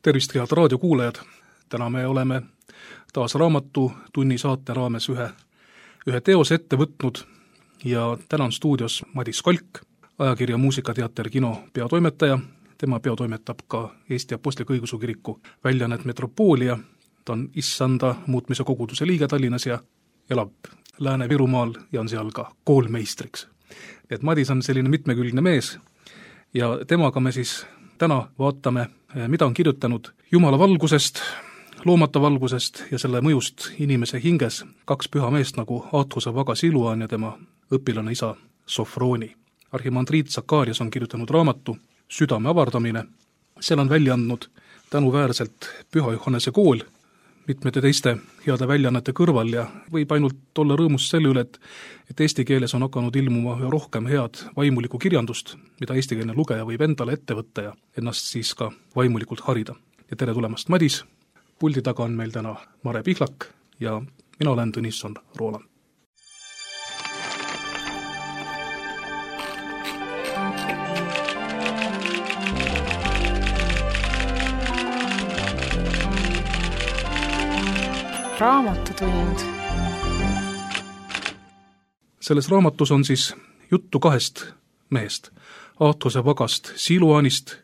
Tervist, head raadiokuulajad! Täna me oleme taas Raamatutunni saate raames ühe teose ette võtnud ja täna on stuudios Madis Kolk, ajakirja Muusikateater Kino peatoimetaja. Tema peatoimetab ka Eesti Apostlik-Õigeusu Kiriku väljaannet Metropoolia. Ta on Issanda muutmise koguduse liige Tallinnas ja elab Lääne-Virumaal ja on seal ka koolmeistriks. Et Madis on selline mitmekülgne mees ja temaga me siis täna vaatame, mida on kirjutanud Jumala valgusest, loomata valgusest ja selle mõjust inimese hinges kaks püha meest nagu Aathuse Vaga Siluan ja tema õpilane isa Sofroni. Arhimandriit Sakarias on kirjutanud raamatu Südame avardamine. Seal on välja andnud tänuväärselt Püha Johannese kool mitmete teiste heade väljaannete kõrval ja võib ainult olla rõõmus selle üle, et eesti keeles on hakanud ilmuma üha rohkem head vaimulikku kirjandust, mida eestikeelne lugeja võib endale ette võtta ja ennast siis ka vaimulikult harida. Ja tere tulemast, Madis! Puldi taga on meil täna Mare Pihlak ja mina olen Tõnisson Rooland. Raamatutund. Selles raamatus on siis juttu kahest mehest, Aathuse Vagast Siluanist,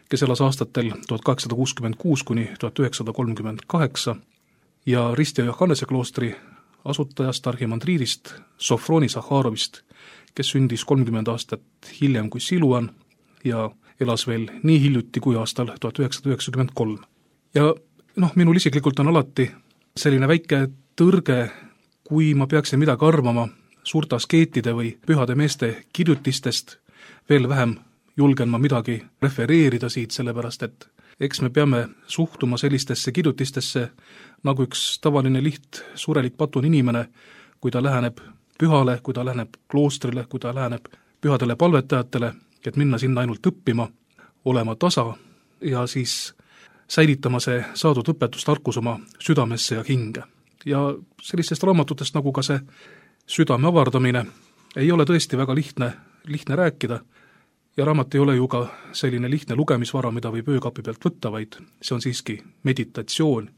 kes elas aastatel 1866 kuni 1938 ja Risti ja Johannese kloostri asutajast arhimandriidist Sofroni Zahharovist, kes sündis 30 aastat hiljem kui Siluan ja elas veel nii hiljuti kui aastal 1993. Ja minul isiklikult on alati selline väike tõrge, kui ma peaksin midagi arvama suurte askeetide või pühade meeste kirjutistest, veel vähem julgen ma midagi refereerida siit, sellepärast et eks me peame suhtuma sellistesse kirjutistesse nagu üks tavaline surelik patun inimene, kui ta läheneb pühale, kui ta läheneb kloostrile, kui ta läheneb pühadele palvetajatele, et minna sinna ainult õppima, olema tasa ja siis säilitama see saadud õpetustarkus oma südamesse ja hinge. Ja sellistest raamatutest nagu ka see Südame avardamine ei ole tõesti väga lihtne rääkida ja raamat ei ole ju ka selline lihtne lugemisvara, mida võib öökapi pealt võtta, vaid see on siiski meditatsioon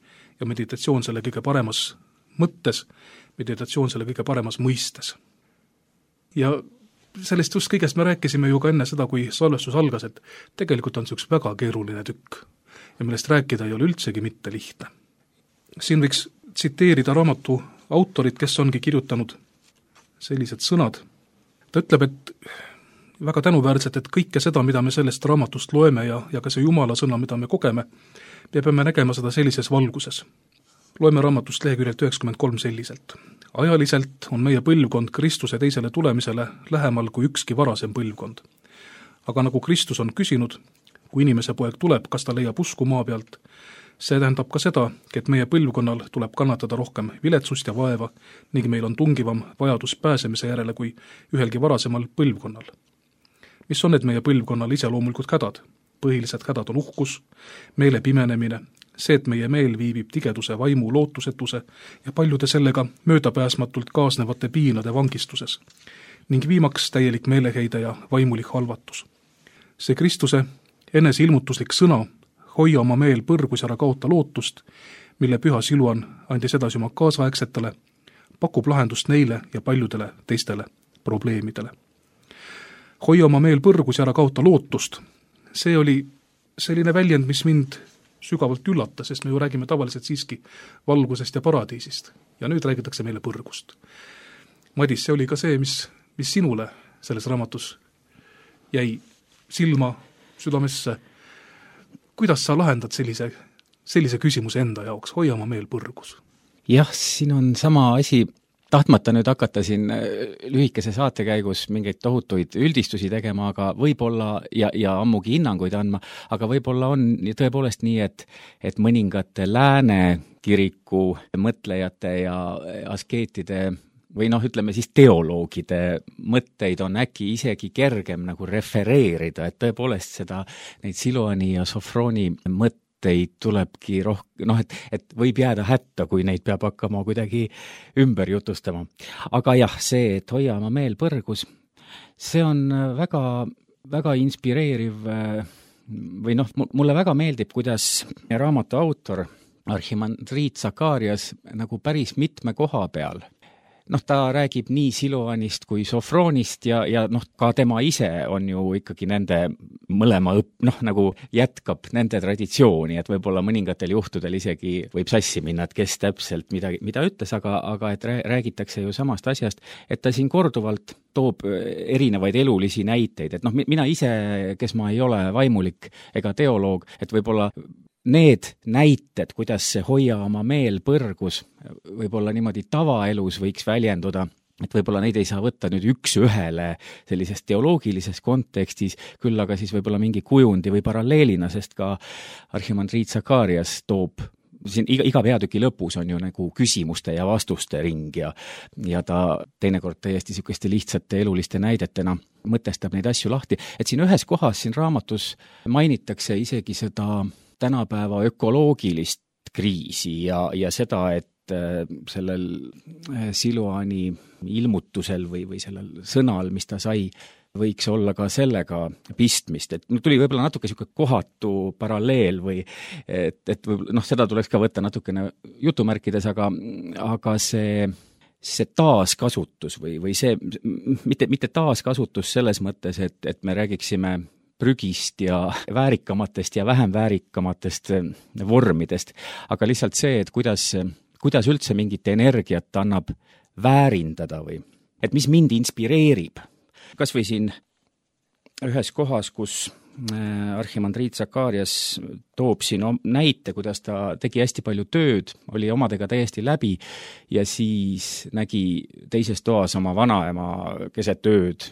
ja meditatsioon selle kõige paremas mõttes, meditatsioon selle kõige paremas mõistes. Ja sellest just kõigest me rääkisime ju ka enne seda, kui salvestus algas, et tegelikult on see üks väga keeruline tükk ja millest rääkida ei ole üldsegi mitte lihtne. Siin võiks tsiteerida raamatu autorit, kes ongi kirjutanud sellised sõnad. Ta ütleb, et väga tänuväärselt, et kõike seda, mida me sellest raamatust loeme ja ka see Jumala sõna, mida me kogeme, me peame nägema seda sellises valguses. Loeme raamatust leheküljelt 93 selliselt. Ajaliselt on meie põlvkond Kristuse teisele tulemisele lähemal kui ükski varasem põlvkond. Aga nagu Kristus on küsinud, kui inimese poeg tuleb, kas ta leiab usku maa pealt, see tähendab ka seda, et meie põlvkonnal tuleb kannatada rohkem viletsust ja vaeva ning meil on tungivam vajadus pääsemise järele kui ühelgi varasemal põlvkonnal. Mis on need meie põlvkonnal iseloomulikud hädad? Põhilised hädad on uhkus, meele pimenemine, see, et meie meel viibib tigeduse, vaimu, lootusetuse ja paljude sellega möödapääsmatult kaasnevate piinade vangistuses ning viimaks täielik meeleheide ja vaimulik halvatus. See Kristuse eneseilmutuslik sõna, hoia oma meel põrgus ja ära kaota lootust, mille Püha Siluan andis edasi oma kaasaegsetele, pakub lahendust neile ja paljudele teistele probleemidele. Hoia oma meel põrgus ja ära kaota lootust. See oli selline väljend, mis mind sügavalt üllatas, sest me ju räägime tavaliselt siiski valgusest ja paradiisist. Ja nüüd räägitakse meile põrgust. Madis, see oli ka see, mis sinule selles raamatus jäi silma, südamesse. Kuidas sa lahendad sellise küsimuse enda jaoks? Hoia oma meel põrgus. Jah, siin on sama asi. Tahtmata nüüd hakata siin lühikese saate käigus mingeid tohutuid üldistusi tegema, aga võib-olla ja ammugi hinnanguid andma, aga võib-olla on tõepoolest nii, et mõningate lääne kiriku mõtlejate ja askeetide või ütleme siis teoloogide mõtteid on äkki isegi kergem nagu refereerida, et tõepoolest neid Siluani ja Sofroni mõtteid tulebki et võib jääda hätta, kui neid peab hakkama kuidagi ümber jutustama. Aga jah, see, et hoia oma meel põrgus, see on väga, väga inspireeriv või noh, mulle väga meeldib, kuidas raamatu autor Arhimandrit Zakarias nagu päris mitme koha peal. Noh, ta räägib nii Siloanist kui Sofronist ja noh, ka tema ise on ju ikkagi nende mõlema nagu jätkab nende traditsiooni, et võib-olla mõningatel juhtudel isegi võib sassi minna, et kes täpselt mida ütles, aga et räägitakse ju samast asjast, et ta siin korduvalt toob erinevaid elulisi näiteid, et noh, mina ise, kes ma ei ole vaimulik ega teoloog, et võib-olla need näited, kuidas see hoia oma meel põrgus, võib-olla niimoodi tavaelus võiks väljenduda, et võib-olla neid ei saa võtta nüüd üks-ühele sellises teoloogilises kontekstis, küll aga siis võib-olla mingi kujundi või paralleelina, sest ka Arhimandrit Zakarias toob siin iga peatüki lõpus on ju nagu küsimuste ja vastuste ring ja ta teinekord täiesti niisuguste lihtsate eluliste näidetena mõtestab neid asju lahti, et siin ühes kohas siin raamatus mainitakse isegi seda tänapäeva ökoloogilist kriisi ja seda, et sellel Siloani ilmutusel või sellel sõnal, mis ta sai, võiks olla ka sellega pistmist, et tuli võib-olla natuke niisugune kohatu paralleel või et noh, seda tuleks ka võtta natukene jutumärkides, aga see taaskasutus või see, mitte taaskasutus selles mõttes, et me räägiksime prügist ja väärikamatest ja vähem väärikamatest vormidest, aga lihtsalt see, et kuidas üldse mingit energiat annab väärindada või et mis mind inspireerib. Kas või siin ühes kohas, kus Arhimandrit Zakarias toob siin näite, kuidas ta tegi hästi palju tööd, oli omadega täiesti läbi ja siis nägi teises toas oma vanaema keset ööd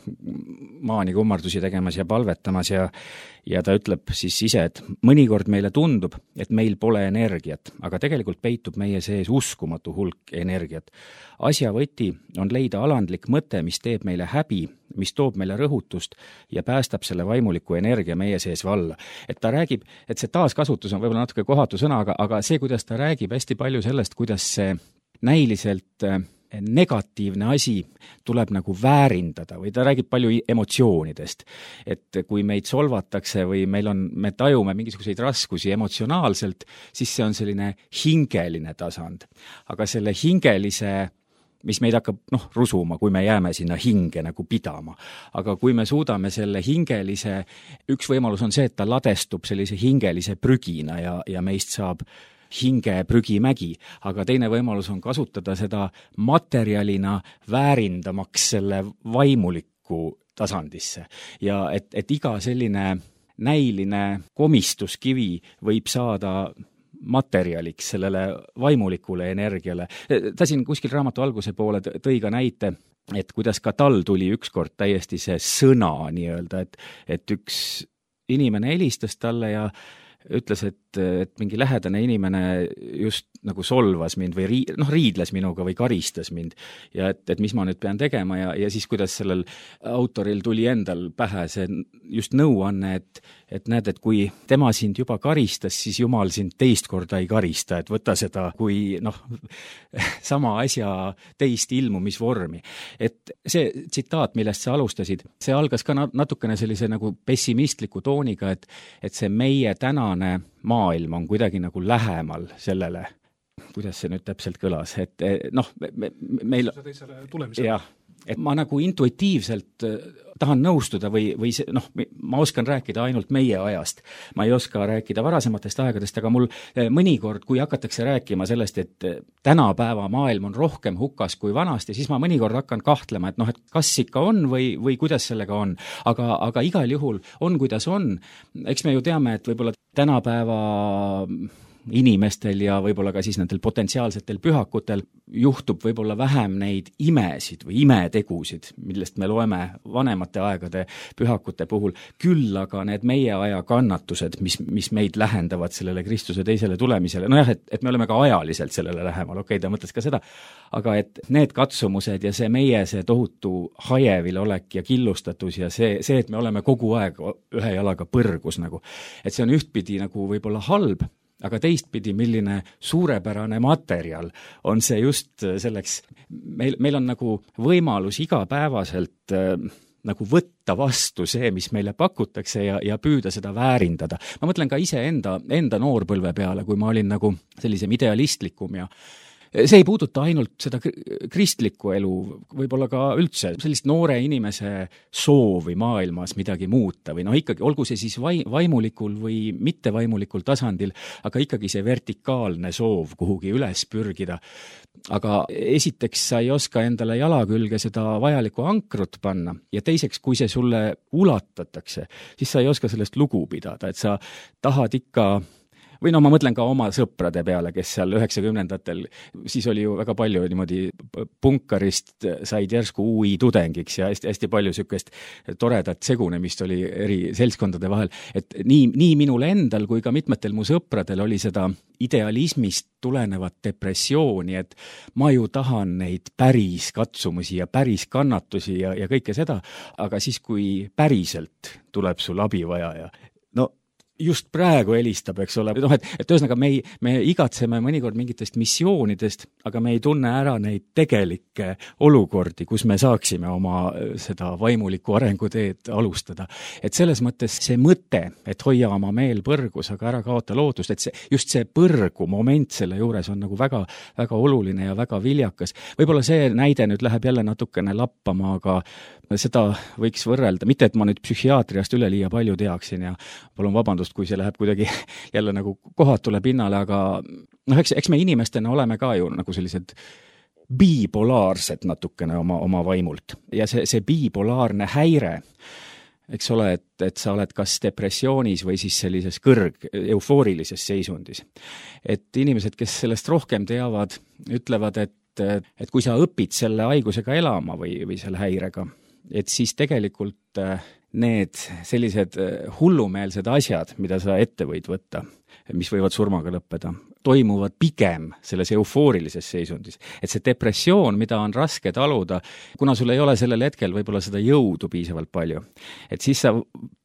maani kummardusi tegemas ja palvetamas ja ta ütleb siis ise, et mõnikord meile tundub, et meil pole energiat, aga tegelikult peitub meie sees uskumatu hulk energiat. Asja võti on leida alandlik mõte, mis teeb meile häbi, mis toob meile rõhutust ja päästab selle vaimuliku energia meie sees valla. Et ta räägib, et see taaskasutus on võib-olla natuke kohatu sõna, aga see, kuidas ta räägib hästi palju sellest, kuidas see näiliselt negatiivne asi tuleb nagu väärindada või ta räägib palju emotsioonidest. Et kui meid solvatakse või me tajume mingisuguseid raskusi emotsionaalselt, siis see on selline hingeline tasand. Aga selle hingelise mis meid hakkab rusuma, kui me jääme sinna hinge nagu pidama. Aga kui me suudame selle hingelise, üks võimalus on see, et ta ladestub sellise hingelise prügina ja meist saab hinge prügimägi, aga teine võimalus on kasutada seda materjalina väärindamaks selle vaimuliku tasandisse. Ja et iga selline näiline komistuskivi võib saada materjaliks sellele vaimulikule energiale. Ta siin kuskil raamatu alguse poole tõi ka näite, et kuidas ka tal tuli ükskord täiesti see sõna nii-öelda, et üks inimene helistas talle ja ütles, et mingi lähedane inimene just nagu solvas mind või riidles minuga või karistas mind ja et mis ma nüüd pean tegema ja siis kuidas sellel autoril tuli endal pähe see just nõuanne, et näed, et kui tema sind juba karistas, siis Jumal sind teist korda ei karista, et võta seda kui sama asja teist ilmumisvormi. Et see tsitaat, millest sa alustasid, see algas ka natukene sellise nagu pessimistliku tooniga, et see meie tänane maailm on kuidagi nagu lähemal sellele, kuidas see nüüd täpselt kõlas, et meil jah, et ma nagu intuitiivselt tahan nõustuda või see, ma oskan rääkida ainult meie ajast. Ma ei oska rääkida varasematest aegadest, aga mul mõnikord, kui hakatakse rääkima sellest, et tänapäeva maailm on rohkem hukas kui vanasti, siis ma mõnikord hakkan kahtlema, et kas ikka on või kuidas sellega on. Aga igal juhul on, kuidas on. Eks me ju teame, et võib-olla tänapäeva inimestel ja võib-olla ka siis nendel potentsiaalsetel pühakutel juhtub võib-olla vähem neid imesid või imetegusid, millest me loeme vanemate aegade pühakute puhul, küll aga need meie aja kannatused, mis meid lähendavad sellele Kristuse teisele tulemisele, et me oleme ka ajaliselt sellele lähemal, ta mõtles ka seda, aga et need katsumused ja see tohutu hajevil olek ja killustatus ja see, et me oleme kogu aeg ühe jalaga põrgus nagu, et see on ühtpidi nagu võib-olla halb, aga teistpidi, milline suurepärane materjal on see just selleks, meil on nagu võimalus igapäevaselt nagu võtta vastu see, mis meile pakutakse ja püüda seda väärindada. Ma mõtlen ka enda noorpõlve peale, kui ma olin nagu sellisem idealistlikum ja see ei puuduta ainult seda kristlikku elu, võib-olla ka üldse sellist noore inimese soovi maailmas midagi muuta või ikkagi, olgu see siis vaimulikul või mittevaimulikul tasandil, aga ikkagi see vertikaalne soov kuhugi üles pürgida. Aga esiteks sa ei oska endale jala külge seda vajalikku ankrut panna ja teiseks, kui see sulle ulatatakse, siis sa ei oska sellest lugu pidada, et sa tahad ikka või ma mõtlen ka oma sõprade peale, kes seal 90-ndatel, siis oli ju väga palju niimoodi punkarist said järsku UI tudengiks ja hästi palju sükest toredat segunemist oli eri seltskondade vahel, et nii minul endal kui ka mitmetel mu sõpradel oli seda idealismist tulenevat depressiooni, et ma ju tahan neid päris katsumusi ja päris kannatusi ja kõike seda, aga siis, kui päriselt tuleb sul abi vaja ja just praegu helistab, eks ole, et ühesõnaga me igatseme mõnikord mingitest missioonidest, aga me ei tunne ära neid tegelikke olukordi, kus me saaksime oma seda vaimulikku arenguteed alustada. Et selles mõttes see mõte, et hoia oma meel põrgus, aga ära kaota lootust, et just see põrgu moment selle juures on nagu väga, väga oluline ja väga viljakas. Võib-olla see näide nüüd läheb jälle natukene lappama, aga seda võiks võrrelda, mitte et ma nüüd psühhiaatriast üleliia palju teaksin ja palun vabandust, kui see läheb kuidagi jälle nagu kohatule pinnale, aga eks me inimestena oleme ka ju nagu sellised bipolaarsed natukene oma vaimult. Ja see bipolaarne häire, eks ole, et sa oled kas depressioonis või siis sellises eufoorilises seisundis. Et inimesed, kes sellest rohkem teavad, ütlevad, et kui sa õpid selle haigusega elama või selle häirega, et siis tegelikult need sellised hullumeelsed asjad, mida sa ette võid võtta, mis võivad surmaga lõppeda, toimuvad pigem selles eufoorilises seisundis. Et see depressioon, mida on raske taluda, kuna sul ei ole sellel hetkel võib-olla seda jõudu piisavalt palju, et siis sa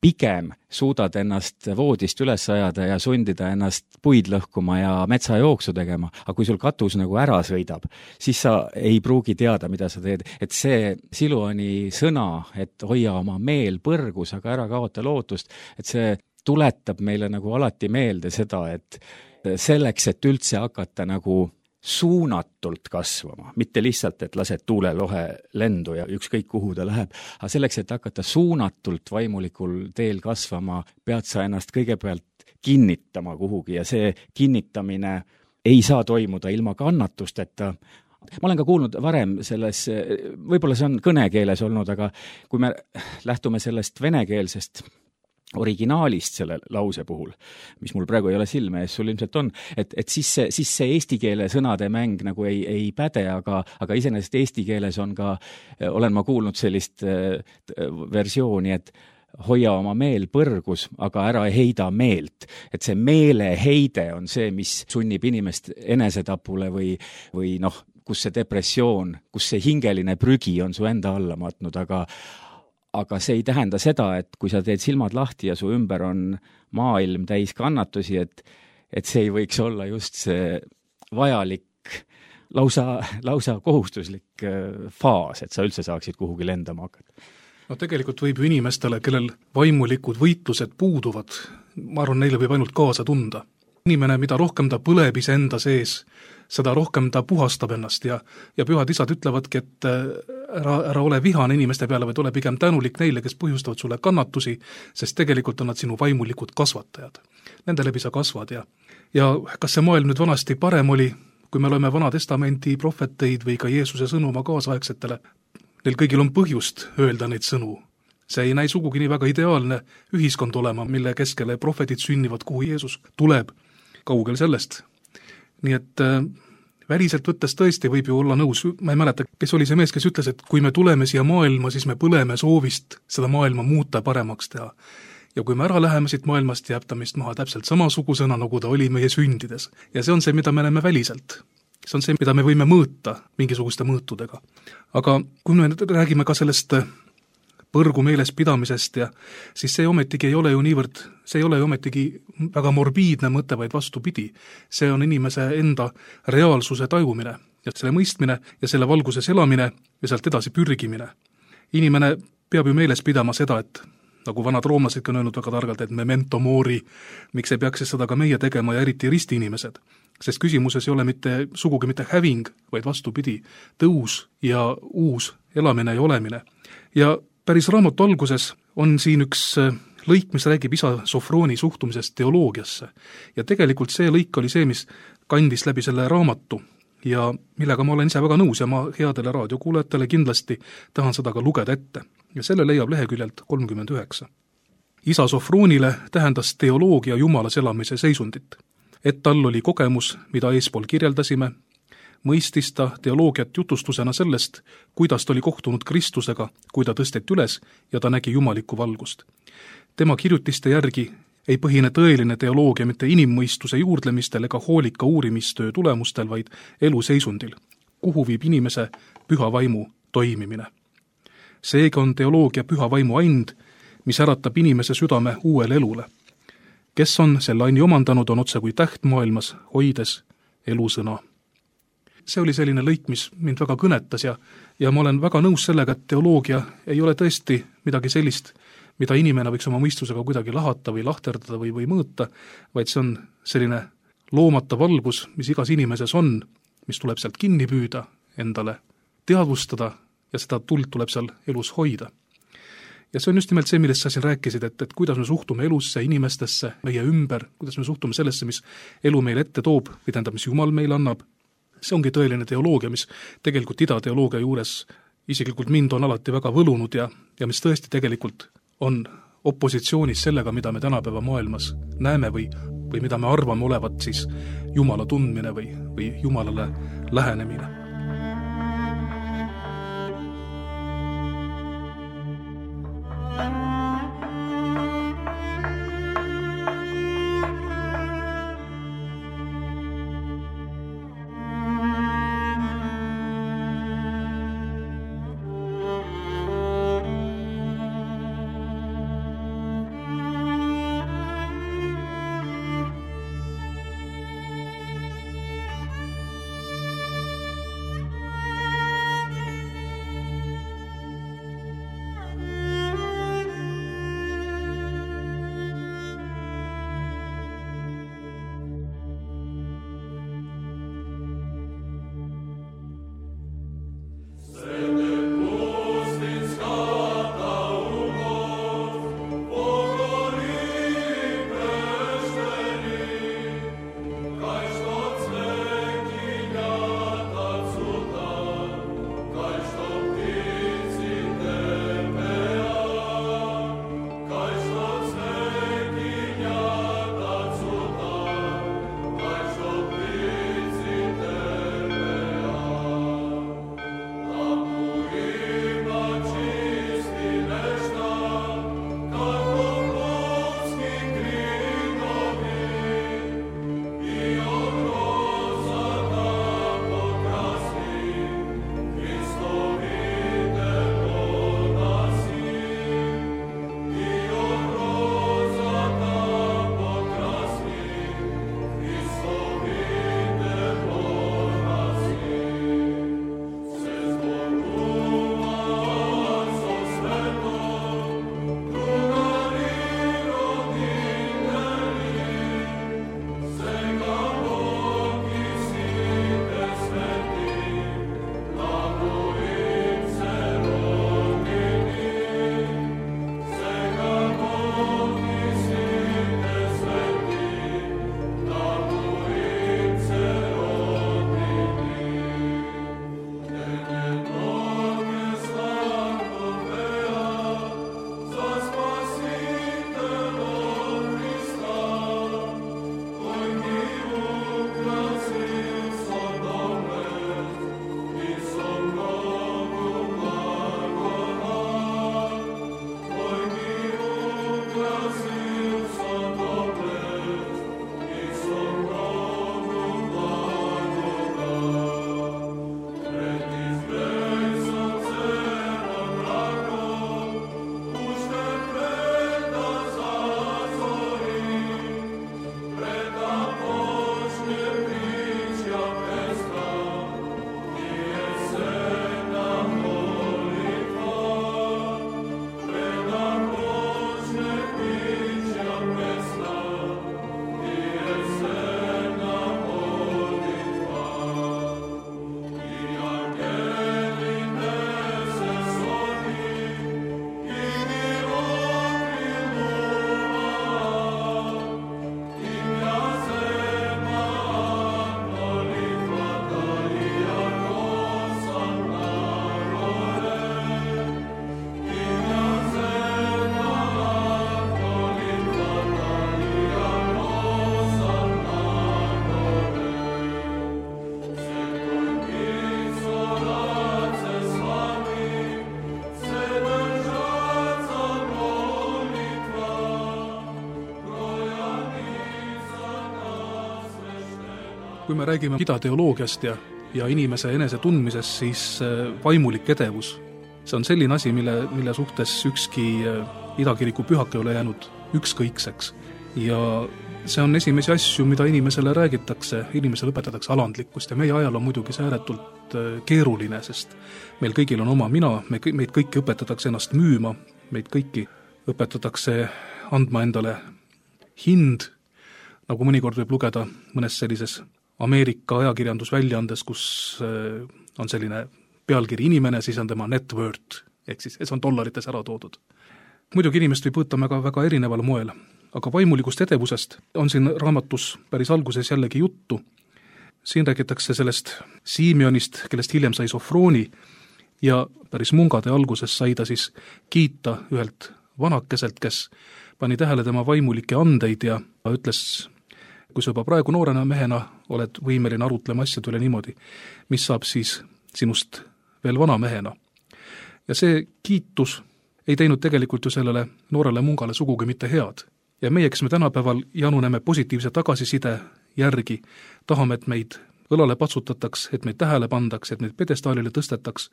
pigem suudad ennast voodist üles ajada ja sundida ennast puid lõhkuma ja metsajooksu tegema, aga kui sul katus nagu ära sõidab, siis sa ei pruugi teada, mida sa teed. Et see Siluani sõna, et hoia oma meel põrgus, aga ära kaota lootust, et see tuletab meile nagu alati meelde seda, et selleks, et üldse hakata nagu suunatult kasvama, mitte lihtsalt, et lased tuulelohe lendu ja ükskõik kuhu ta läheb, aga selleks, et hakata suunatult vaimulikul teel kasvama, pead sa ennast kõigepealt kinnitama kuhugi ja see kinnitamine ei saa toimuda ilma kannatusteta. Ma olen ka kuulnud varem selles, võib-olla see on kõnekeeles olnud, aga kui me lähtume sellest venekeelsest originaalist selle lause puhul, mis mul praegu ei ole silme ees, sul ilmselt on, et siis see eesti keele sõnade mäng nagu ei päde, aga iseenesest eesti keeles on ka, olen ma kuulnud sellist versiooni, et hoia oma meel põrgus, aga ära heida meelt. Et see meeleheide on see, mis sunnib inimest enesetapule või kus see depressioon, kus see hingeline prügi on su enda alla matnud, aga see ei tähenda seda, et kui sa teed silmad lahti ja su ümber on maailm täis kannatusi, et see ei võiks olla just see vajalik, lausa kohustuslik faas, et sa üldse saaksid kuhugi lendama hakata. No tegelikult võib ju inimestele, kellel vaimulikud võitlused puuduvad, ma arvan, neile võib ainult kaasa tunda. Inimene, mida rohkem ta põleb iseenda sees, seda rohkem ta puhastab ennast ja pühad isad ütlevadki, et ära ole vihane inimeste peale, vaid ole pigem tänulik neile, kes põhjustavad sulle kannatusi, sest tegelikult on nad sinu vaimulikud kasvatajad. Nende läbi sa kasvad ja kas see maailm nüüd vanasti parem oli, kui me loeme Vana Testamenti prohveteid või ka Jeesuse sõnu oma kaasaegsetele, neil kõigil on põhjust öelda neid sõnu. See ei näi sugugi nii väga ideaalne ühiskond olema, mille keskele prohvetid sünnivad, kuhu Jeesus tuleb, kaugel sellest. Nii et väliselt võttes tõesti võib ju olla nõus, ma ei mäleta, kes oli see mees, kes ütles, et kui me tuleme siia maailma, siis me põleme soovist seda maailma muuta paremaks teha. Ja kui me ära läheme siit maailmast, jääb ta meist maha täpselt samasugusena, nagu ta oli meie sündides. Ja see on see, mida me näeme väliselt. See on see, mida me võime mõõta mingisuguste mõõtudega. Aga kui me räägime ka sellest põrgu meeles pidamisest ja siis see ometigi ei ole ju niivõrd, see ei ole ju ometigi väga morbiidne mõte, vaid vastupidi. See on inimese enda reaalsuse tajumine ja selle mõistmine ja selle valguses elamine ja sealt edasi pürgimine. Inimene peab ju meeles pidama seda, et nagu vanad roomlasedki on öelnud väga targalt, et memento mori, miks ei peaks seda ka meie tegema ja eriti ristiinimesed. Sest küsimuses ei ole sugugi mitte häving, vaid vastupidi, tõus ja uus elamine ja olemine. Ja päris raamatu alguses on siin üks lõik, mis räägib isa Sofroni suhtumisest teoloogiasse. Ja tegelikult see lõik oli see, mis kandis läbi selle raamatu ja millega ma olen ise väga nõus ja ma headele raadiokuulajatele kindlasti tahan seda ka lugeda ette. Ja selle leiab leheküljelt 39. Isa Sofronile tähendas teoloogia jumalas elamise seisundit. Et tal oli kogemus, mida eespool kirjeldasime, mõistis ta teoloogiat jutustusena sellest, kuidas ta oli kohtunud Kristusega, kui ta tõsteti üles ja ta nägi jumalikku valgust. Tema kirjutiste järgi ei põhine tõeline teoloogia mitte inimmõistuse juurdlemistel ega hoolika uurimistöö tulemustel, vaid eluseisundil, kuhu viib inimese püha vaimu toimimine. Seega on teoloogia püha vaimu aind, mis äratab inimese südame uuele elule. Kes on selle aini omandanud, on otse kui täht maailmas, hoides elusõna. See oli selline lõik, mis mind väga kõnetas ja ma olen väga nõus sellega, et teoloogia ei ole tõesti midagi sellist, mida inimene võiks oma mõistusega kuidagi lahata või lahterdada või mõõta, vaid see on selline loomata valgus, mis igas inimeses on, mis tuleb sealt kinni püüda, endale teadvustada ja seda tuld tuleb seal elus hoida. Ja see on just nimelt see, millest sa siin rääkisid, et kuidas me suhtume elusse, inimestesse, meie ümber, kuidas me suhtume sellesse, mis elu meile ette toob, või tähendab, mis Jumal meile annab. See ongi tõeline teoloogia, mis tegelikult idateoloogia juures isiklikult mind on alati väga võlunud ja mis tõesti tegelikult on opositsioonis sellega, mida me tänapäeva maailmas näeme või mida me arvame olevat siis Jumala tundmine või Jumalale lähenemine. Kui me räägime idateoloogiast ja inimese enese tundmisest, siis vaimulik edevus, see on selline asi, mille suhtes ükski idakiriku pühak ei ole jäänud ükskõikseks. Ja see on esimesi asju, mida inimesele räägitakse, inimesele õpetatakse alandlikkust ja meie ajal on muidugi see ääretult keeruline, sest meil kõigil on oma mina, meid kõiki õpetatakse ennast müüma, meid kõiki õpetatakse andma endale hind, nagu mõnikord võib lugeda mõnes sellises Ameerika ajakirjandusväljaandes, kus on selline pealkiri inimene, siis on tema net worth, ehk siis see on dollarites ära toodud. Muidugi inimest võib võtta väga erineval moel, aga vaimulikust edevusest on siin raamatus päris alguses jällegi juttu. Siin räägitakse sellest Simeonist, kellest hiljem sai Sofrooni ja päris mungade alguses sai ta siis kiita ühelt vanakeselt, kes pani tähele tema vaimulikke andeid ja ütles, kui sa juba praegu noorena mehena oled võimeline arutlema asjade üle niimoodi, mis saab siis sinust veel vana mehena. Ja see kiitus ei teinud tegelikult ju sellele noorele mungale sugugi mitte head. Ja meie, kes me tänapäeval januneme positiivse tagasiside järgi, tahame, et meid õlale patsutataks, et meid tähele pandaks, et meid pedestaalile tõstetaks.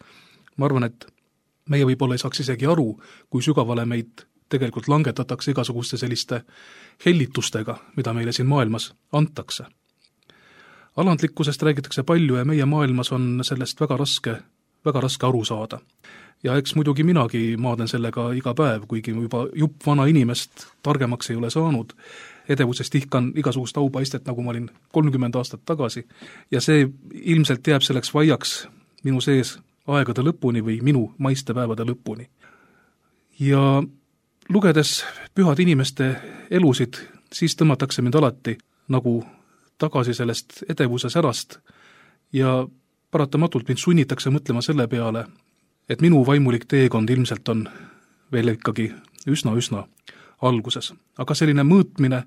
Ma arvan, et meie võib-olla ei saaks isegi aru, kui sügavale meid tegelikult langetatakse igasuguste selliste hellitustega, mida meile siin maailmas antakse. Alandlikkusest räägitakse palju ja meie maailmas on sellest väga raske aru saada. Ja eks muidugi minagi maaden sellega iga päev, kuigi juba jupp vana inimest targemaks ei ole saanud. Edevusest ihkan igasugust aupaistet, nagu ma olin 30 aastat tagasi. Ja see ilmselt jääb selleks vaiaks minu sees aegade lõpuni või minu maistepäevade lõpuni. Ja lugedes pühade inimeste elusid, siis tõmmatakse mind alati nagu tagasi sellest edevuse särast ja paratamatult mind sunnitakse mõtlema selle peale, et minu vaimulik teekond ilmselt on veel ikkagi üsna alguses. Aga selline mõõtmine,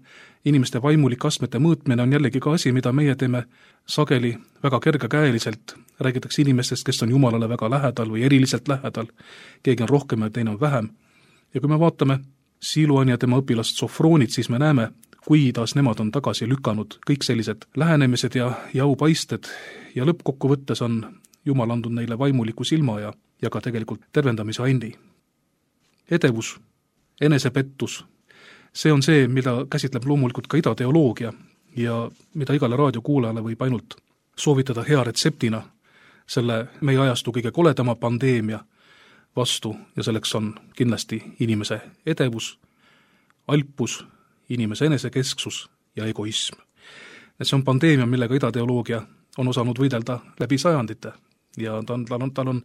inimeste vaimulike astmete mõõtmine on jällegi ka asi, mida meie teeme sageli väga kergekäeliselt. Räägitakse inimestest, kes on Jumalale väga lähedal või eriliselt lähedal, keegi on rohkem ja teine on vähem. Ja kui me vaatame Siluani ja tema õpilast Sofroonit, siis me näeme, kuidas nemad on tagasi lükanud kõik sellised lähenemised ja aupaisted ja lõppkokkuvõttes on Jumal andnud neile vaimuliku silma ja ka tegelikult tervendamise andi. Edevus, enesepettus, see on see, mida käsitleb loomulikult ka idateoloogia ja mida igale raadiokuulajale võib ainult soovitada hea retseptina selle meie ajastu kõige koledama pandeemia vastu ja selleks on kindlasti inimese edevus, alpus, inimese enesekesksus ja egoism. See on pandeemia, millega idateoloogia on osanud võidelda läbi sajandite ja tal on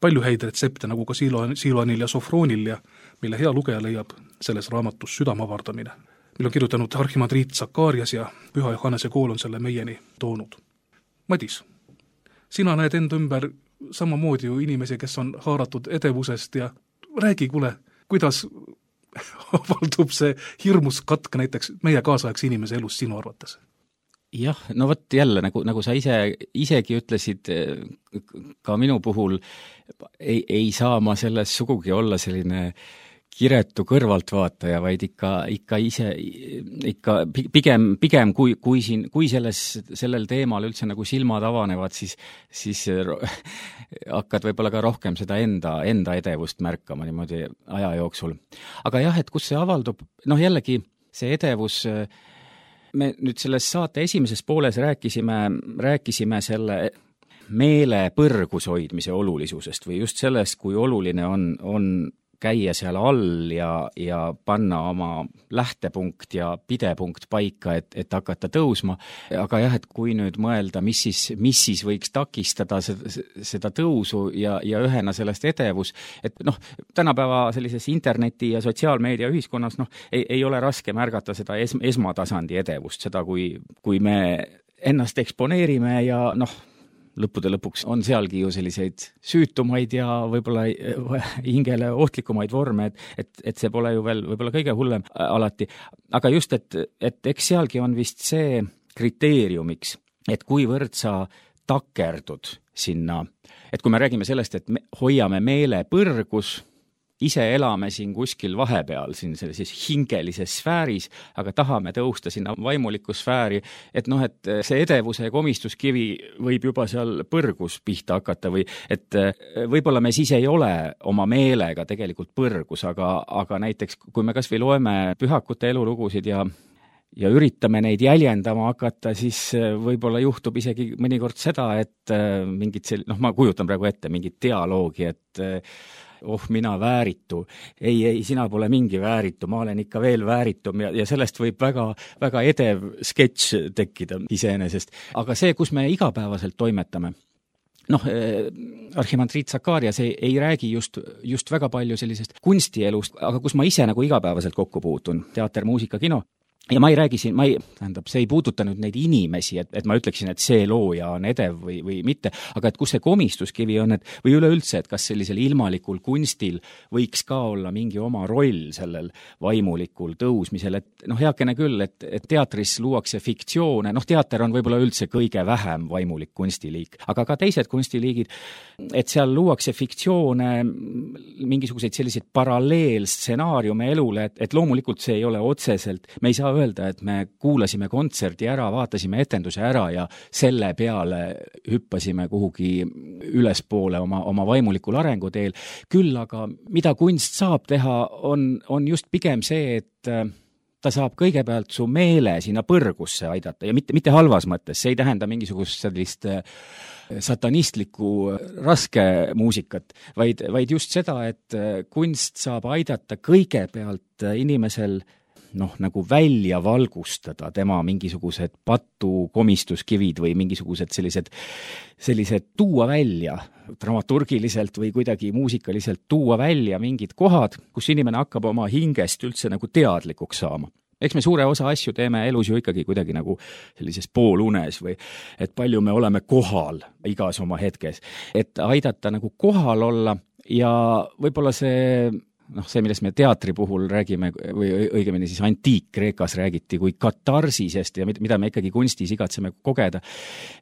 palju häid retsepte, nagu ka Siluanil ja Sofroonil ja mille hea lugeja leiab selles raamatus Südamavardamine, mille on kirjutanud arhimandriit Zakarias ja Püha Johannese kool on selle meieni toonud. Madis, sina näed enda ümber samamoodi ju inimesi, kes on haaratud edevusest ja räägi, kuule, kuidas avaldub see hirmus katk näiteks meie kaasaegse inimese elus sinu arvates? Jah, no vot jälle, nagu sa isegi ütlesid, ka minu puhul ei saa ma selles sugugi olla selline kiretu kõrvaltvaataja, vaid ikka pigem kui sellel teemal üldse nagu silmad avanevad, siis hakkad võib-olla ka rohkem seda enda edevust märkama niimoodi aja jooksul. Aga jah, et kus see avaldub, jällegi see edevus, me nüüd selles saate esimeses pooles rääkisime selle meele põrgus hoidmise olulisusest või just sellest, kui oluline on käia seal all ja panna oma lähtepunkt ja pidepunkt paika, et hakata tõusma. Aga jah, et kui nüüd mõelda, mis siis võiks takistada seda tõusu ja ühena sellest edevus, et tänapäeva sellises interneti ja sotsiaalmeedia ühiskonnas ei ole raske märgata seda esmatasandi edevust, seda kui me ennast eksponeerime ja lõppude lõpuks on sealgi ju selliseid süütumaid ja võib-olla hingele ohtlikumaid vorme, et see pole ju veel võib-olla kõige hullem alati. Aga just, et eks sealgi on vist see kriteeriumiks, et kuivõrd sa takerdud sinna, et kui me räägime sellest, et me hoiame meele põrgus, ise elame siin kuskil vahepeal, siin sellises hingelises sfääris, aga tahame tõusta sinna vaimulikku sfääri, et et see edevuse ja komistuskivi võib juba seal põrgus pihta hakata või et võib-olla me siis ei ole oma meelega tegelikult põrgus, aga näiteks kui me kas või loeme pühakute elulugusid ja üritame neid jäljendama hakata, siis võib-olla juhtub isegi mõnikord seda, et mingit ma kujutan praegu ette mingit dialoogi, et mina vääritu. Ei, sina pole mingi vääritu, ma olen ikka veel vääritum ja sellest võib väga, väga edev sketš tekkida iseenesest. Aga see, kus me igapäevaselt toimetame, arhimandriit Zakarias ei räägi just väga palju sellisest kunstielust, aga kus ma ise nagu igapäevaselt kokku puutun, teater, muusika, kino. Ja ma ei räägi siin, see ei puuduta nüüd neid inimesi, et ma ütleksin, et see looja on edev või mitte, aga et kus see komistuskivi on, või üleüldse, et kas sellisel ilmalikul kunstil võiks ka olla mingi oma roll sellel vaimulikul tõusmisel, et heakene küll, et teatris luuakse fiktsioone, teater on võib-olla üldse kõige vähem vaimulik kunstiliik, aga ka teised kunstiliigid, et seal luuakse fiktsioone, mingisuguseid selliseid paralleelstsenaariume elule, et loomulikult see ei ole otseselt, me ei saa öelda, et me kuulasime kontserdi ära, vaatasime etenduse ära ja selle peale hüppasime kuhugi ülespoole oma vaimulikul arenguteel. Küll aga mida kunst saab teha, on just pigem see, et ta saab kõigepealt su meele sinna põrgusse aidata ja mitte halvas mõttes, see ei tähenda mingisugust sellist satanistlikku raske muusikat, vaid just seda, et kunst saab aidata kõigepealt inimesel nagu välja valgustada tema mingisugused komistuskivid või mingisugused sellised tuua välja dramaturgiliselt või kuidagi muusikaliselt tuua välja mingid kohad, kus inimene hakkab oma hingest üldse nagu teadlikuks saama. Eks me suure osa asju teeme elus ju ikkagi kuidagi nagu sellises poolunes või et palju me oleme kohal igas oma hetkes, et aidata nagu kohal olla ja võib-olla see, millest me teatri puhul räägime või õigemini siis antiik-Kreekas räägiti kui katarsisest ja mida me ikkagi kunstis igatseme kogeda,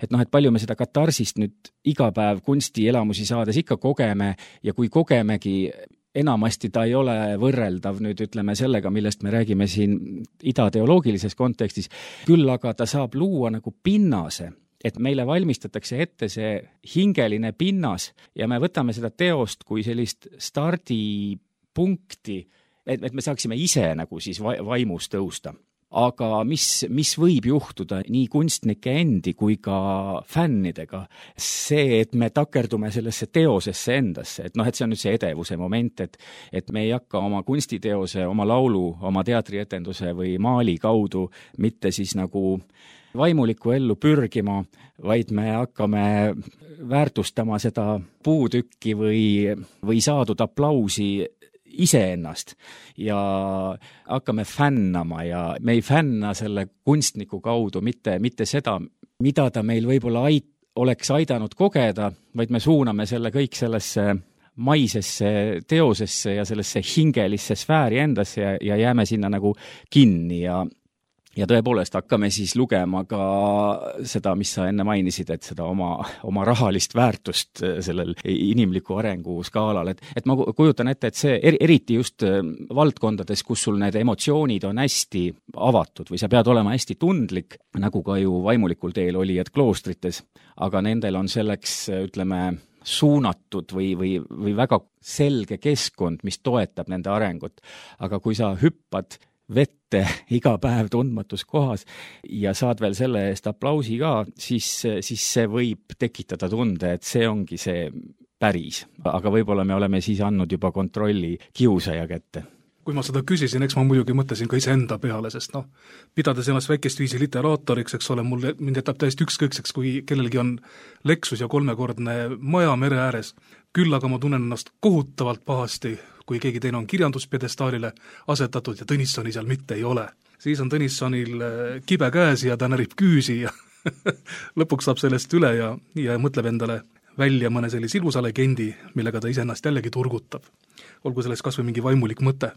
et palju me seda katarsist nüüd iga päev kunstielamusi saades ikka kogeme ja kui kogemegi, enamasti ta ei ole võrreldav nüüd ütleme sellega, millest me räägime siin idateoloogilises kontekstis, küll aga ta saab luua nagu pinnase, et meile valmistatakse ette see hingeline pinnas ja me võtame seda teost kui sellist stardipunkti, et me saaksime ise nagu siis vaimus tõusta. Aga mis võib juhtuda nii kunstnike endi kui ka fännidega, see, et me takerdume sellesse teosesse endasse, et see on nüüd see edevuse moment, et me ei hakka oma kunstiteose, oma laulu, oma teatrietenduse või maali kaudu mitte siis nagu vaimulikku ellu pürgima, vaid me hakkame väärtustama seda puutükki või saadud aplausi iseennast ja hakkame fännama ja me ei fänna selle kunstniku kaudu mitte seda, mida ta meil võib-olla oleks aidanud kogeda, vaid me suuname selle kõik sellesse maisesse teosesse ja sellesse hingelisse sfääri endasse ja jääme sinna nagu kinni ja tõepoolest hakkame siis lugema ka seda, mis sa enne mainisid, et seda oma rahalist väärtust sellel inimliku arengu skaalal. Et ma kujutan ette, et see eriti just valdkondades, kus sul need emotsioonid on hästi avatud või sa pead olema hästi tundlik, nagu ka ju vaimulikul teel olijad kloostrites, aga nendel on selleks, ütleme, suunatud või väga selge keskkond, mis toetab nende arengut. Aga kui sa hüppad vette iga päev tundmatus kohas ja saad veel selle eest aplausi ka, siis see võib tekitada tunde, et see ongi see päris. Aga võib-olla me oleme siis andnud juba kontrolli kiusaja kätte. Kui ma seda küsisin, eks ma muidugi mõtlesin ka iseenda peale, sest pidades ennast väikest viisi literaatoriks, eks ole, mind jätab täiesti ükskõikseks, kui kellelgi on Lexus ja 3-kordne maja mere ääres. Küll aga ma tunnen ennast kohutavalt pahasti, kui keegi teine on kirjanduspedestaalile asetatud ja Tõnissoni seal mitte ei ole. Siis on Tõnissonil kibe käes ja ta närib küüsi ja lõpuks saab sellest üle ja mõtleb endale välja mõne sellise ilusa legendi, millega ta iseennast jällegi turgutab. Olgu selles kas või mingi vaimulik mõte.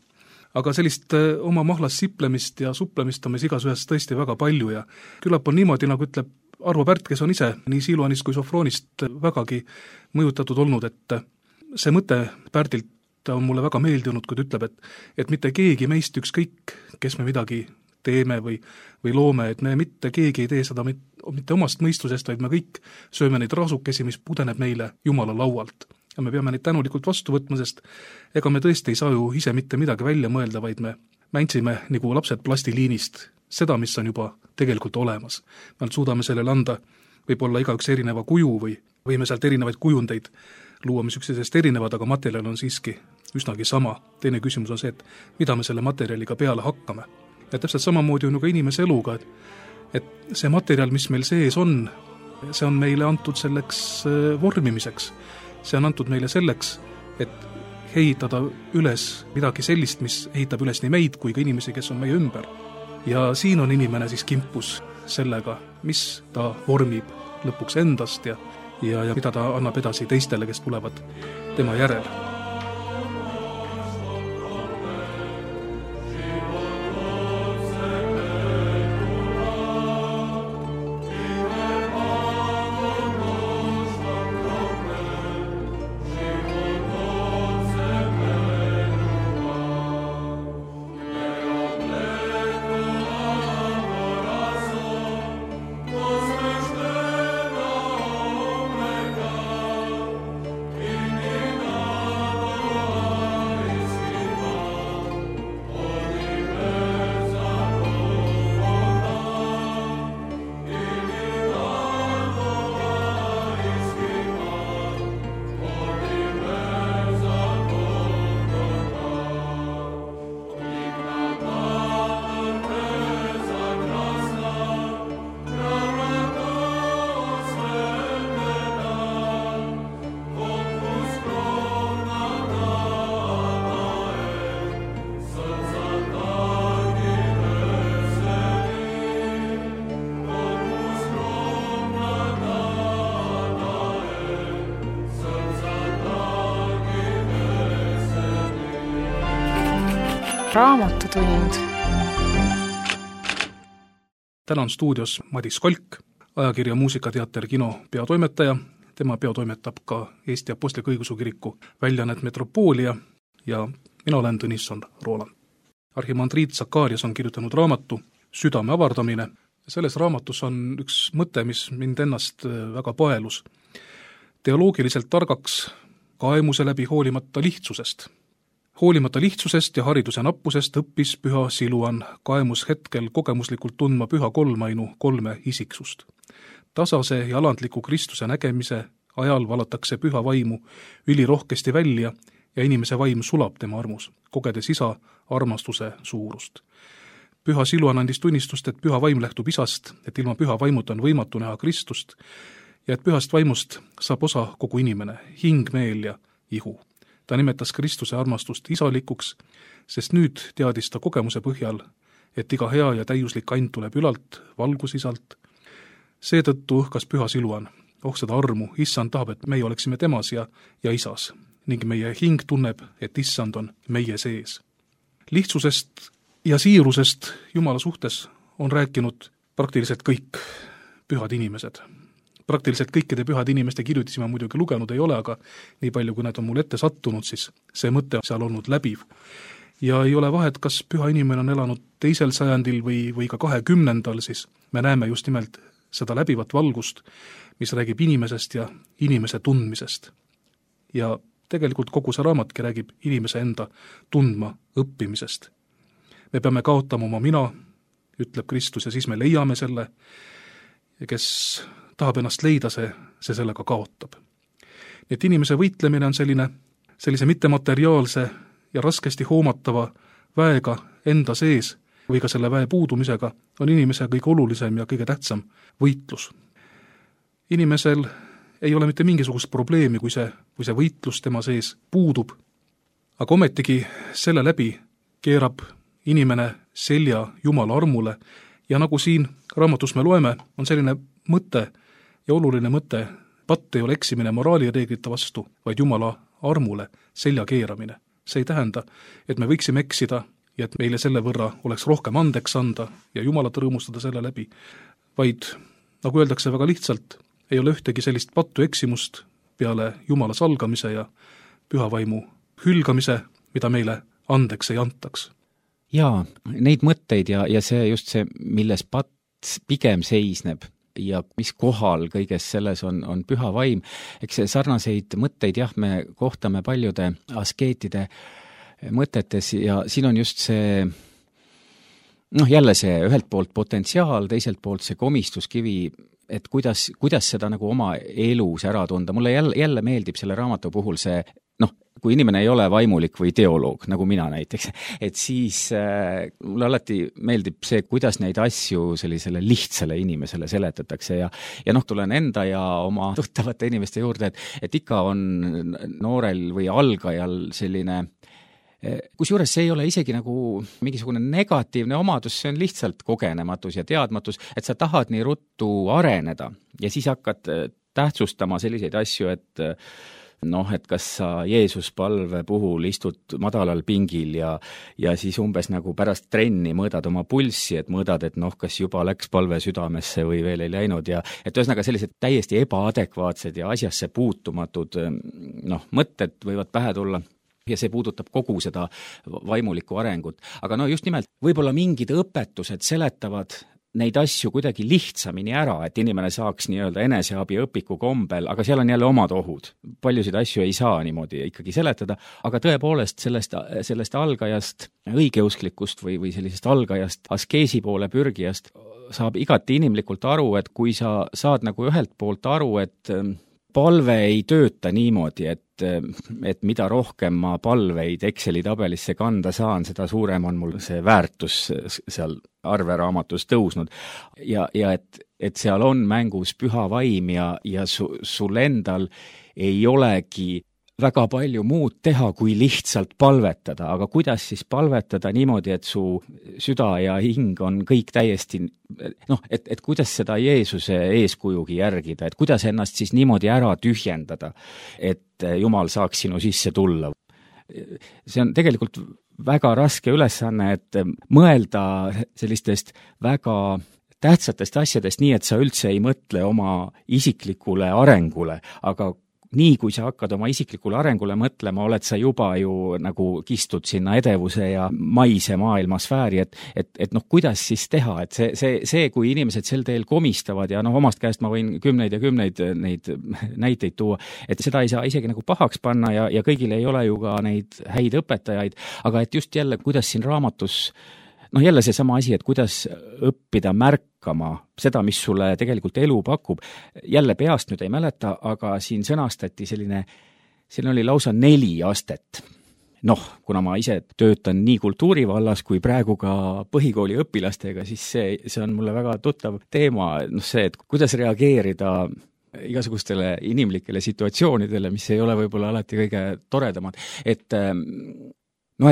Aga sellist oma mahlas siplemist ja suplemist on meis igas ühes tõesti väga palju ja küllap on niimoodi, nagu ütleb Arvo Pärt, kes on ise nii Siluanist kui Sofroonist vägagi mõjutatud olnud, et see mõte Pärdilt ta on mulle väga meeldinud, kui ta ütleb, et mitte keegi meist ükskõik, kes me midagi teeme või loome, et me mitte keegi ei tee seda mitte omast mõistusest, vaid me kõik sööme neid raasukesi, mis pudeneb meile Jumala laualt. Ja me peame neid tänulikult vastu võtma, sest ega me tõesti ei saa ju ise mitte midagi välja mõelda, vaid me mändsime nagu lapsed plastiliinist seda, mis on juba tegelikult olemas. Me suudame sellele anda võib-olla igaüks erineva kuju või võime sealt erinevaid kujundeid luua, mis üksteisest erinevad, aga materjal on siiski üsnagi sama. Teine küsimus on see, et mida me selle materjaliga peale hakkame. Ja täpselt samamoodi on ju ka inimese eluga, et see materjal, mis meil sees on, see on meile antud selleks vormimiseks. See on antud meile selleks, et ehitada üles midagi sellist, mis ehitab üles nii meid kui ka inimesi, kes on meie ümber. Ja siin on inimene siis kimpus sellega, mis ta vormib lõpuks endast ja mida ta annab edasi teistele, kes tulevad tema järel. Raamatutund. Täna on stuudios Madis Kolk, ajakirja Muusikateater Kino peatoimetaja. Tema peatoimetab ka Eesti Apostliku Õigeusu Kiriku väljaannet Metropoolia ja mina olen Tõnisson Rooland. Arhimandriit Sakarias on kirjutanud raamatu Südame avardamine. Selles raamatus on üks mõte, mis mind ennast väga paelus. Teoloogiliselt targaks kaemuse läbi hoolimata lihtsusest. Hoolimata lihtsusest ja hariduse nappusest õppis püha Siluan kaemus hetkel kogemuslikult tundma püha kolmainu 3 isiksust. Tasase ja alandliku Kristuse nägemise ajal valatakse püha vaimu ülirohkesti välja ja inimese vaim sulab tema armus, kogedes isa armastuse suurust. Püha Siluan andis tunnistust, et püha vaim lähtub isast, et ilma püha vaimut on võimatu näha Kristust ja et pühast vaimust saab osa kogu inimene, hing, meel ja ihu. Ta nimetas Kristuse armastust isalikuks, sest nüüd teadis ta kogemuse põhjal, et iga hea ja täiuslik and tuleb ülalt, valgusisalt. Seetõttu õhkas püha Siluan, seda armu, issand tahab, et meie oleksime temas ja isas, ning meie hing tunneb, et issand on meie sees. Lihtsusest ja siirusest Jumala suhtes on rääkinud praktiliselt kõik pühad inimesed. Praktiliselt kõikide pühade inimeste kirjutisi ma muidugi lugenud ei ole, aga nii palju, kui need on mul ette sattunud, siis see mõte on seal olnud läbiv. Ja ei ole vahet, kas püha inimene on elanud 2. sajandil või ka 20. siis me näeme just nimelt seda läbivat valgust, mis räägib inimesest ja inimese tundmisest. Ja tegelikult kogu see raamatki räägib inimese enda tundma õppimisest. Me peame kaotama oma mina, ütleb Kristus, ja siis me leiame selle, kes tahab ennast leida, see sellega kaotab. Nii et inimese võitlemine on sellise mittemateriaalse ja raskesti hoomatava väega enda sees või ka selle väe puudumisega on inimese kõige olulisem ja kõige tähtsam võitlus. Inimesel ei ole mitte mingisugust probleemi, kui see võitlus tema sees puudub, aga ometigi selle läbi keerab inimene selja Jumala armule ja nagu siin raamatus me loeme, on selline mõte ja oluline mõte, patt ei ole eksimine moraalireeglite vastu, vaid Jumala armule selja keeramine. See ei tähenda, et me võiksime eksida ja et meile selle võrra oleks rohkem andeks anda ja Jumalat rõõmustada selle läbi, vaid, nagu öeldakse väga lihtsalt, ei ole ühtegi sellist pattu eksimust peale Jumala salgamise ja pühavaimu hülgamise, mida meile andeks ei antaks. Jaa, neid mõtteid ja see just see, milles Pats pigem seisneb ja mis kohal kõiges selles on püha vaim. Eks see sarnaseid mõtteid jah, me kohtame paljude askeetide mõtetes ja siin on just see jälle see ühelt poolt potentsiaal, teiselt poolt see komistuskivi, et kuidas seda nagu oma elus ära tunda. Mulle jälle meeldib selle raamatu puhul see, kui inimene ei ole vaimulik või teoloog, nagu mina näiteks, et siis mulle alati meeldib see, kuidas neid asju sellisele lihtsale inimesele seletatakse ja tulen enda ja oma tuttavate inimeste juurde, et ikka on noorel või algajal selline, kusjuures see ei ole isegi nagu mingisugune negatiivne omadus, see on lihtsalt kogenematus ja teadmatus, et sa tahad nii ruttu areneda ja siis hakkad tähtsustama selliseid asju, et et kas sa Jeesus palve puhul istud madalal pingil ja siis umbes nagu pärast trenni mõõdad oma pulssi, et mõõdad, et kas juba läks palve südamesse või veel ei läinud ja et ühesõnaga sellised täiesti ebaadekvaatsed ja asjasse puutumatud mõtted võivad pähe tulla. Ja see puudutab kogu seda vaimulikku arengut. Aga just nimelt, võib-olla mingid õpetused seletavad neid asju kuidagi lihtsamini ära, et inimene saaks nii-öelda eneseabi õpiku kombel, aga seal on jälle omad ohud. Paljusid asju ei saa niimoodi ikkagi seletada, aga tõepoolest sellest algajast õigeusklikust või sellisest algajast askeesi poole pürgijast saab igati inimlikult aru, et kui sa saad nagu ühelt poolt aru, et palve ei tööta niimoodi, et mida rohkem ma palveid Exceli tabelisse kanda saan, seda suurem on mul see väärtus seal arveraamatus tõusnud. Ja et seal on mängus püha vaim ja sul endal ei olegi väga palju muud teha, kui lihtsalt palvetada, aga kuidas siis palvetada niimoodi, et su süda ja hing on kõik täiesti, et kuidas seda Jeesuse eeskujugi järgida, et kuidas ennast siis niimoodi ära tühjendada, et Jumal saaks sinu sisse tulla. See on tegelikult väga raske ülesanne, et mõelda sellistest väga tähtsatest asjadest nii, et sa üldse ei mõtle oma isiklikule arengule, aga nii kui sa hakkad oma isiklikule arengule mõtlema, oled sa juba ju nagu kistud sinna edevuse ja maise maailmasfääri, et kuidas siis teha, et see, kui inimesed sel teel komistavad ja omast käest ma võin kümneid ja kümneid neid näiteid tuua, et seda ei saa isegi nagu pahaks panna ja kõigil ei ole ju ka neid häid õpetajaid, aga et just jälle, kuidas siin raamatus jälle see sama asi, et kuidas õppida märkama seda, mis sulle tegelikult elu pakub. Jälle peast nüüd ei mäleta, aga siin sõnastati siin oli lausa 4 astet. Kuna ma ise töötan nii kultuurivallas kui praegu ka põhikooli õpilastega, siis see on mulle väga tuttav teema, see, et kuidas reageerida igasugustele inimlikele situatsioonidele, mis ei ole võib-olla alati kõige toredamad, et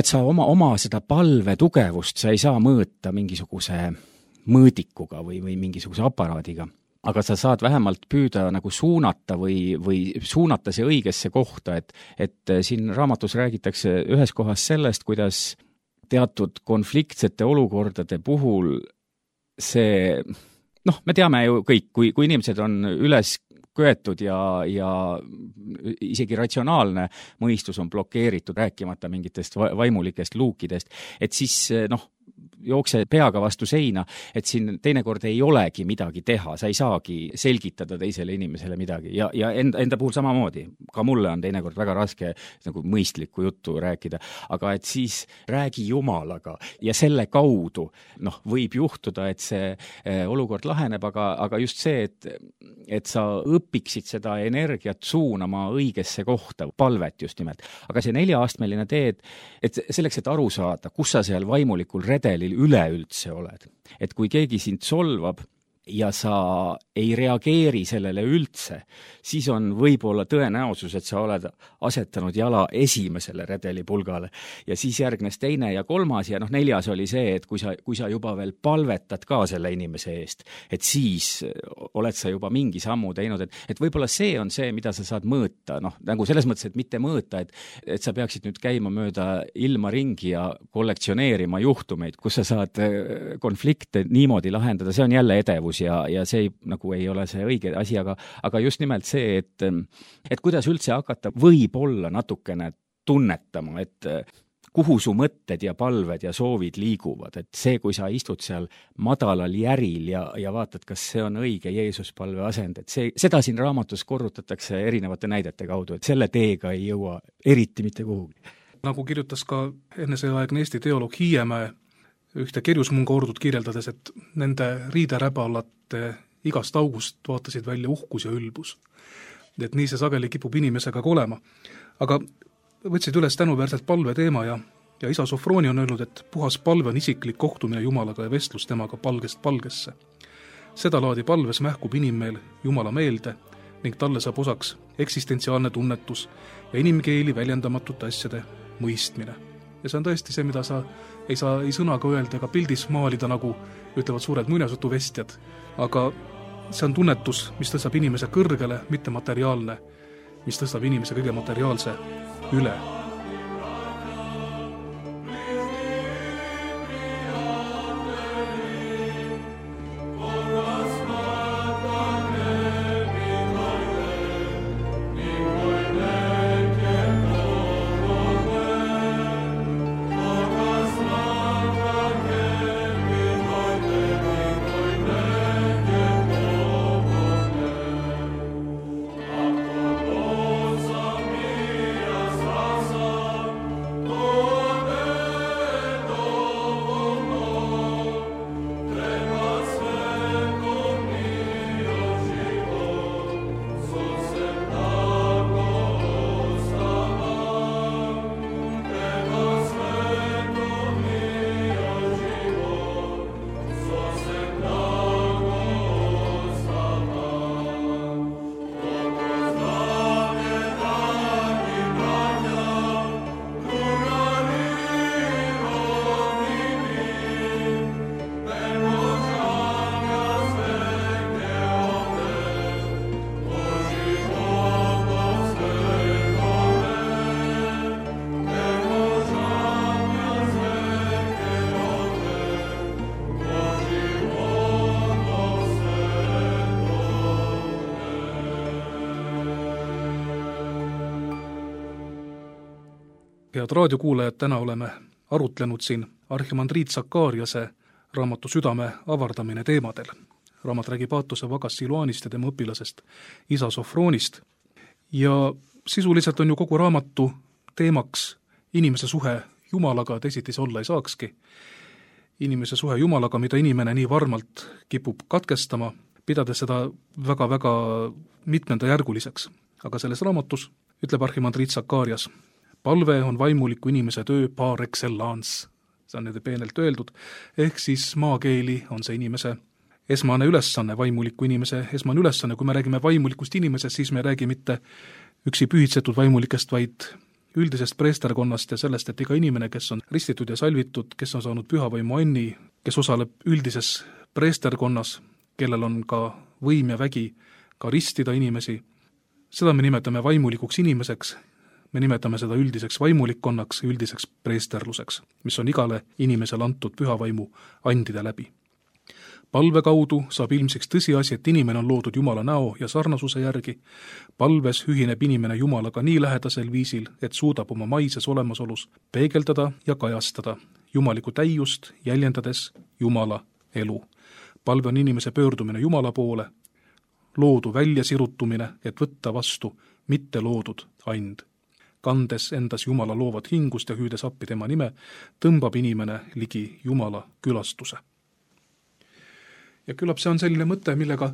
sa oma seda palve tugevust sa ei saa mõõta mingisuguse mõõdikuga või mingisuguse aparaadiga, aga sa saad vähemalt püüda nagu suunata või suunata see õigesse kohta, et siin raamatus räägitakse ühes kohas sellest, kuidas teatud konfliktsete olukordade puhul see, me teame ju kõik, kui inimesed on üles köetud ja isegi ratsionaalne mõistus on blokeeritud, rääkimata mingitest vaimulikest luukidest, et siis jookse peaga vastu seina, et siin teinekord ei olegi midagi teha, sa ei saagi selgitada teisele inimesele midagi ja enda puhul samamoodi. Ka mulle on teinekord väga raske nagu mõistlikku juttu rääkida, aga et siis räägi Jumalaga ja selle kaudu võib juhtuda, et see olukord laheneb, aga just see, et sa õpiksid seda energiat suunama õigesse kohta, palvet just nimelt. Aga see 4-astmeline tee, et selleks, et aru saada, kus sa seal vaimulikul redelil üleüldse oled. Et kui keegi sind solvab ja sa ei reageeri sellele üldse, siis on võib-olla tõenäosus, et sa oled asetanud jala esimesele redelipulgale ja siis järgnes 2. ja 3. ja 4. oli see, et kui sa juba veel palvetad ka selle inimese eest, et siis oled sa juba mingi sammu teinud, et võib-olla see on see, mida sa saad mõõta, nagu selles mõttes, et mitte mõõta, et sa peaksid nüüd käima mööda ilma ringi ja kollektsioneerima juhtumeid, kus sa saad konflikte niimoodi lahendada, see on jälle edevus ja see nagu ei ole see õige asi, aga just nimelt see, et kuidas üldse hakata võib-olla natukene tunnetama, et kuhu su mõtted ja palved ja soovid liiguvad, et see, kui sa istud seal madalal järil ja vaatad, kas see on õige Jeesuspalve asend, et seda siin raamatus korrutatakse erinevate näidete kaudu, et selle teega ei jõua eriti mitte kuhugi. Nagu kirjutas ka enneseaegne Eesti teoloog Hiiemäe ühte kerjusmunga ordut kirjeldades, et nende riideräbalate igast august vaatasid välja uhkus ja ülbus. Et nii see sageli kipub inimesega ka olema. Aga võtsid üles tänuväärselt palve teema ja isa Sofroni on öelnud, et puhas palve on isiklik kohtumine Jumalaga ja vestlus temaga palgest palgesse. Seda laadi palves mähkub inimmeel Jumala meelde ning talle saab osaks eksistentsiaalne tunnetus ja inimkeeli väljendamatute asjade mõistmine. Ja see on tõesti see, mida sa ei saa ei sõnaga öelda ega pildis maalida, nagu ütlevad suured muinasjutuvestjad, aga see on tunnetus, mis tõstab inimese kõrgele, mitte materiaalne, mis tõstab inimese kõige materiaalse üle. Head raadiokuulajad, täna oleme arutlenud siin arhimandriit Sakariase raamatu Südame avardamine teemadel. Raamat räägib Aatose Vagas Siluanist ja tema õpilasest isa Sofronist. Ja sisuliselt on ju kogu raamatu teemaks inimese suhe Jumalaga, teisiti see olla ei saakski. Inimese suhe Jumalaga, mida inimene nii varmalt kipub katkestama, pidades seda väga-väga mitmendajärguliseks. Aga selles raamatus ütleb arhimandriit Sakarias: palve on vaimuliku inimese töö par excellence, see on nüüd peenelt öeldud, ehk siis maakeeli on see inimese esmane ülesanne, vaimuliku inimese esmane ülesanne. Kui me räägime vaimulikust inimesest, siis me räägi mitte üksi pühitsetud vaimulikest, vaid üldisest preesterkonnast ja sellest, et iga inimene, kes on ristitud ja salvitud, kes on saanud pühavaimu anni, kes osaleb üldises preesterkonnas, kellel on ka võim ja vägi ka ristida inimesi, seda me nimetame vaimulikuks inimeseks. Me nimetame seda üldiseks vaimulikkonnaks, üldiseks preesterluseks, mis on igale inimesele antud pühavaimu andide läbi. Palve kaudu saab ilmsiks tõsiasi, et inimene on loodud Jumala näo ja sarnasuse järgi. Palves ühineb inimene Jumalaga nii lähedasel viisil, et suudab oma maises olemasolus peegeldada ja kajastada jumalikku täiust, jäljendades Jumala elu. Palve on inimese pöördumine Jumala poole, loodu väljasirutumine, et võtta vastu mitte loodud and. Kandes endas Jumala loovat hingust ja hüüdes appi tema nime, tõmbab inimene ligi Jumala külastuse. Ja küllap see on selline mõte, millega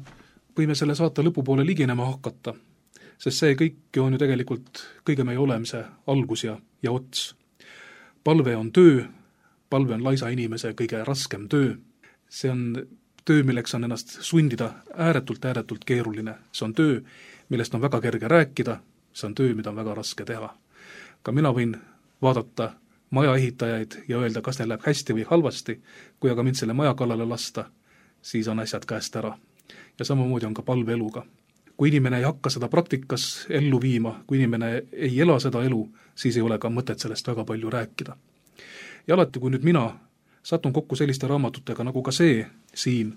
võime selle saate lõpupoole liginema hakata, sest see kõik on ju tegelikult kõige meie olemise algus ja ots. Palve on töö, palve on laisa inimese kõige raskem töö. See on töö, milleks on ennast sundida ääretult keeruline. See on töö, millest on väga kerge rääkida, see on töö, mida on väga raske teha. Ka mina võin vaadata maja ehitajaid ja öelda, kas neil läheb hästi või halvasti, kui aga mind selle maja kallale lasta, siis on asjad käest ära. Ja samamoodi on ka palveeluga. Kui inimene ei hakka seda praktikas ellu viima, kui inimene ei ela seda elu, siis ei ole ka mõtet sellest väga palju rääkida. Ja alati, kui nüüd mina satun kokku selliste raamatutega nagu ka see siin,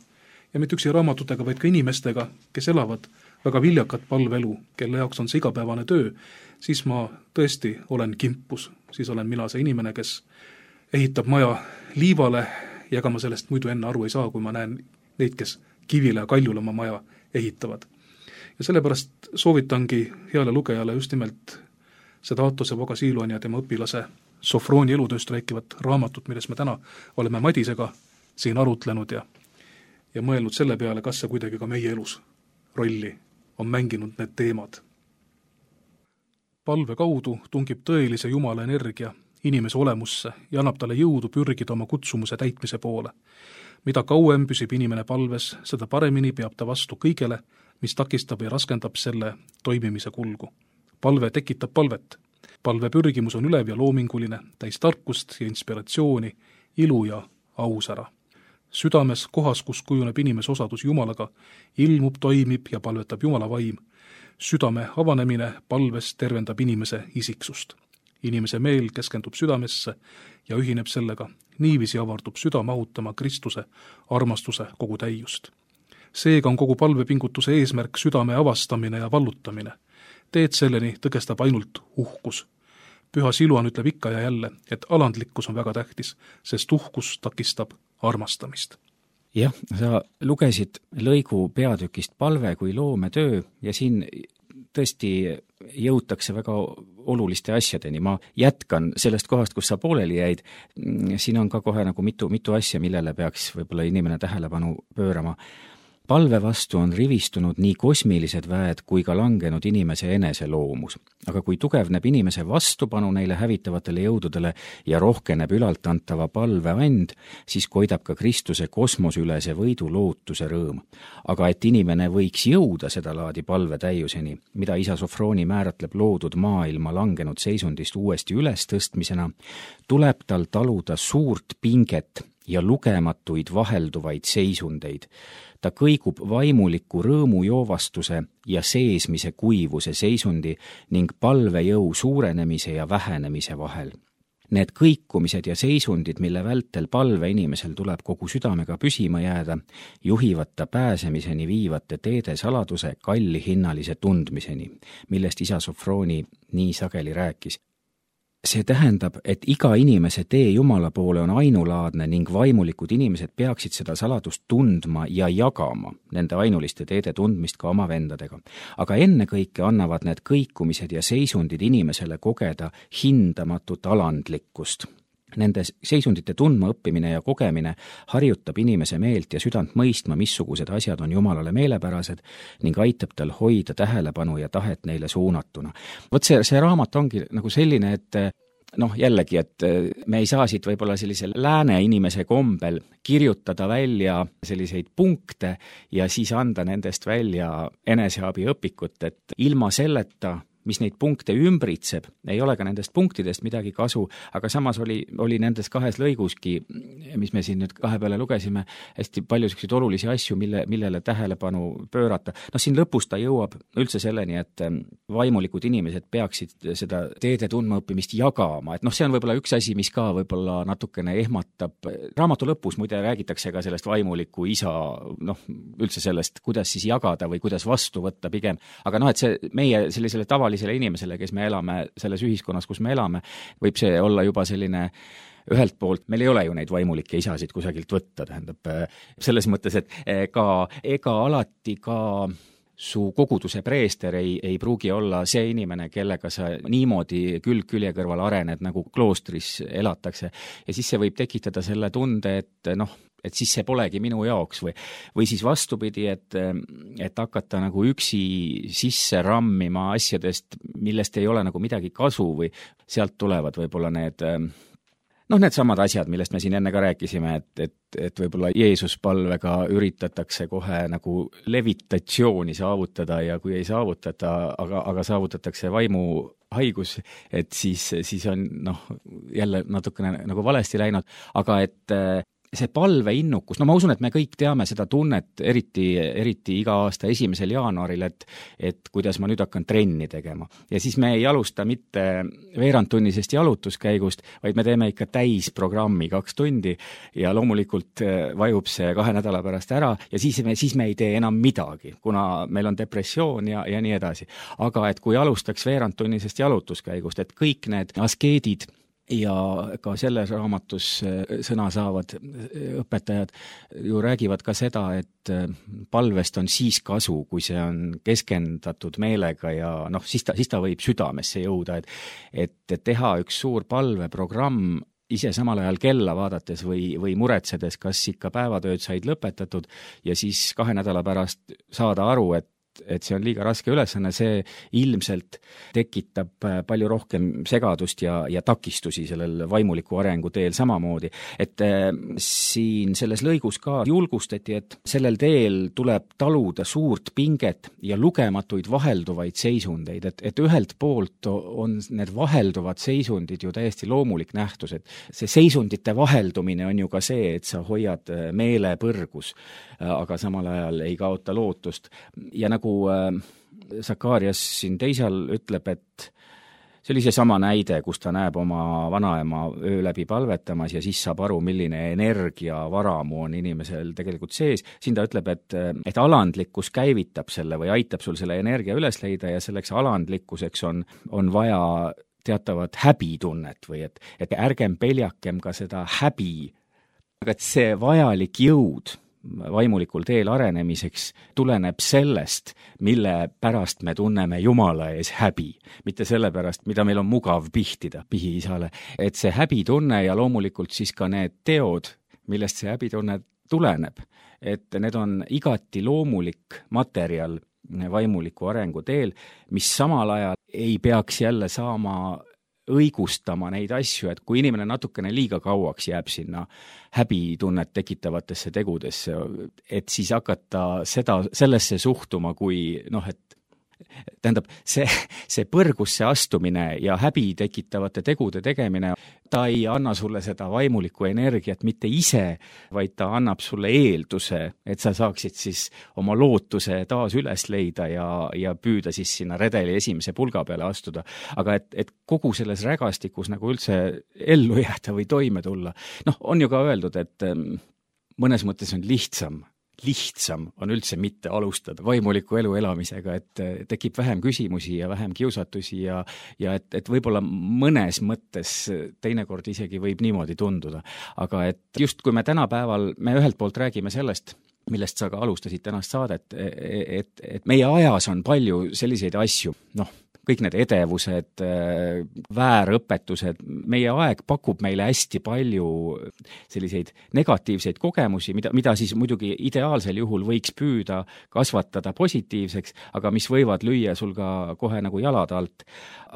ja mitte üksi raamatutega, vaid ka inimestega, kes elavad väga viljakat palvelu, kelle jaoks on see igapäevane töö, siis ma tõesti olen kimpus, siis olen mina see inimene, kes ehitab maja liivale ja ega ma sellest muidu enne aru ei saa, kui ma näen neid, kes kivile ja kaljule oma maja ehitavad. Ja sellepärast soovitangi heale lugejale just nimelt seda Aatose Vagasiluani ja tema õpilase Sofroni elutööst rääkivat raamatut, milles me täna oleme Madisega siin arutlenud ja mõelnud selle peale, kas see kuidagi ka meie elus rolli on mänginud need teemad. Palve kaudu tungib tõelise Jumala energia inimese olemusse ja annab talle jõudu pürgida oma kutsumuse täitmise poole. Mida kauem püsib inimene palves, seda paremini peab ta vastu kõigele, mis takistab ja raskendab selle toimimise kulgu. Palve tekitab palvet. Palve pürgimus on ülev ja loominguline, täis tarkust ja inspiratsiooni, ilu ja ausära. Südames, kohas, kus kujuneb inimese osadus Jumalaga, ilmub, toimib ja palvetab Jumala vaim. Südame avanemine palves tervendab inimese isiksust. Inimese meel keskendub südamesse ja ühineb sellega. Niiviisi avardub süda mahutama Kristuse armastuse kogu täiust. Seega on kogu palvepingutuse eesmärk südame avastamine ja vallutamine. Teed selleni tõkestab ainult uhkus. Püha Siluan ütleb ikka ja jälle, et alandlikkus on väga tähtis, sest uhkus takistab armastamist. Jah, sa lugesid lõigu peatükist Palve kui loometöö ja siin tõesti jõutakse väga oluliste asjadeni. Ma jätkan sellest kohast, kus sa pooleli jäid. Siin on ka kohe nagu mitu asja, millele peaks võib-olla inimene tähelepanu pöörama. Palve vastu on rivistunud nii kosmilised väed kui ka langenud inimese enese loomus. Aga kui tugevneb inimese vastupanu neile hävitavatele jõududele ja rohkeneb ülalt antava palve and, siis koidab ka Kristuse kosmoseülese võidu lootuse rõõm. Aga et inimene võiks jõuda seda laadi palve täiuseni, mida isa Sofroni määratleb loodud maailma langenud seisundist uuesti üles tõstmisena, tuleb tal taluda suurt pinget ja lugematuid vahelduvaid seisundeid. Ta kõigub vaimuliku rõõmujoovastuse ja seesmise kuivuse seisundi ning palvejõu suurenemise ja vähenemise vahel. Need kõikumised ja seisundid, mille vältel palve inimesel tuleb kogu südamega püsima jääda, juhivad ta pääsemiseni viivate teede saladuse kallihinnalise tundmiseni, millest isa Sofroni nii sageli rääkis. See tähendab, et iga inimese tee Jumala poole on ainulaadne ning vaimulikud inimesed peaksid seda saladust tundma ja jagama nende ainuliste teede tundmist ka oma vendadega. Aga ennekõike annavad need kõikumised ja seisundid inimesele kogeda hindamatut alandlikkust. Nende seisundite tundma õppimine ja kogemine harjutab inimese meelt ja südant mõistma, missugused asjad on Jumalale meelepärased ning aitab tal hoida tähelepanu ja tahet neile suunatuna. Vot see raamat ongi nagu selline, et jällegi, et me ei saa siit võib-olla sellise lääne inimese kombel kirjutada välja selliseid punkte ja siis anda nendest välja eneseabiõpikut, et ilma selleta, mis neid punkte ümbritseb, ei ole ka nendest punktidest midagi kasu, aga samas oli nendes kahes lõiguski, mis me siin nüüd kahe peale lugesime, hästi palju selliseid olulisi asju, millele tähelepanu pöörata. Siin lõpus ta jõuab üldse selleni, et vaimulikud inimesed peaksid seda teede tundmaõppimist jagama, et see on võib-olla üks asi, mis ka võib-olla natukene ehmatab. Raamatu lõpus muide räägitakse ka sellest vaimuliku isa, üldse sellest, kuidas siis jagada või kuidas vastu võtta pigem, aga et see meie sellisele tavalisele inimesele, kes me elame selles ühiskonnas, kus me elame, võib see olla juba selline ühelt poolt, meil ei ole ju neid vaimulikke isasid kusagilt võtta, tähendab selles mõttes, et ega alati ka su koguduse preester ei pruugi olla see inimene, kellega sa niimoodi külg külje kõrval arened, nagu kloostris elatakse. Ja siis see võib tekitada selle tunde, et siis see polegi minu jaoks või siis vastupidi, et hakata nagu üksi sisse rammima asjadest, millest ei ole nagu midagi kasu või sealt tulevad võib-olla need samad asjad, millest me siin enne ka rääkisime, et võib-olla Jeesus palvega üritatakse kohe nagu levitatsiooni saavutada ja kui ei saavutata, aga saavutatakse vaimuhaigus, et siis on jälle natukene nagu valesti läinud, aga et see palveinnukus, no ma usun, et me kõik teame seda tunnet, eriti iga aasta 1. jaanuaril, et kuidas ma nüüd hakkan trenni tegema. Ja siis me ei alusta mitte veerandtunnisest jalutuskäigust, vaid me teeme ikka täisprogrammi 2 tundi ja loomulikult vajub see 2 nädala pärast ära ja siis me ei tee enam midagi, kuna meil on depressioon ja nii edasi. Aga et kui alustaks veerandtunnisest jalutuskäigust, et kõik need askeedid ja ka selles raamatus sõna saavad õpetajad ju räägivad ka seda, et palvest on siis kasu, kui see on keskendatud meelega ja siis ta võib südamesse jõuda, et teha üks suur palveprogramm ise samal ajal kella vaadates või muretsedes, kas ikka päevatööd said lõpetatud ja siis 2 nädala pärast saada aru, et see on liiga raske ülesanne, see ilmselt tekitab palju rohkem segadust ja takistusi sellel vaimuliku arengu teel samamoodi. Et siin selles lõigus ka julgustati, et sellel teel tuleb taluda suurt pinget ja lugematuid vahelduvaid seisundeid, et ühelt poolt on need vahelduvad seisundid ju täiesti loomulik nähtus, et see seisundite vaheldumine on ju ka see, et sa hoiad meele põrgus, aga samal ajal ei kaota lootust ja nagu Sakarias siin teisel ütleb, et see oli seesama näide, kus ta näeb oma vanaema öö läbi palvetamas ja siis saab aru, milline energiavaramu on inimesel tegelikult sees. Siin ta ütleb, et alandlikkus käivitab selle või aitab sul selle energia üles leida ja selleks alandlikkuseks on vaja teatavat häbitunnet või et ärgem peljakem ka seda häbi, aga et see vajalik jõud vaimulikul teel arenemiseks tuleneb sellest, mille pärast me tunneme Jumala ees häbi, mitte selle pärast, mida meil on mugav pihtida pihiisale. Et see häbitunne ja loomulikult siis ka need teod, millest see häbitunne tuleneb, et need on igati loomulik materjal vaimuliku arengu teel, mis samal ajal ei peaks jälle saama õigustama neid asju, et kui inimene natukene liiga kauaks jääb sinna häbitunnet tekitavatesse tegudesse, et siis hakata sellesse suhtuma kui et tähendab, see põrgusse astumine ja häbi tekitavate tegude tegemine, ta ei anna sulle seda vaimulikku energiat mitte ise, vaid ta annab sulle eelduse, et sa saaksid siis oma lootuse taas üles leida ja püüda siis sinna redeli esimese pulga peale astuda. Aga et kogu selles rägastikus nagu üldse ellu jääda või toime tulla, on ju ka öeldud, et mõnes mõttes on lihtsam on üldse mitte alustada vaimuliku elu elamisega, et tekib vähem küsimusi ja vähem kiusatusi ja et võib-olla mõnes mõttes teinekord isegi võib niimoodi tunduda. Aga et just kui me tänapäeval, me ühelt poolt räägime sellest, millest sa ka alustasid tänast saadet, et meie ajas on palju selliseid asju, kõik need edevused, väärõpetused, meie aeg pakub meile hästi palju selliseid negatiivseid kogemusi, mida siis muidugi ideaalsel juhul võiks püüda kasvatada positiivseks, aga mis võivad lüüa sul ka kohe nagu jalad alt.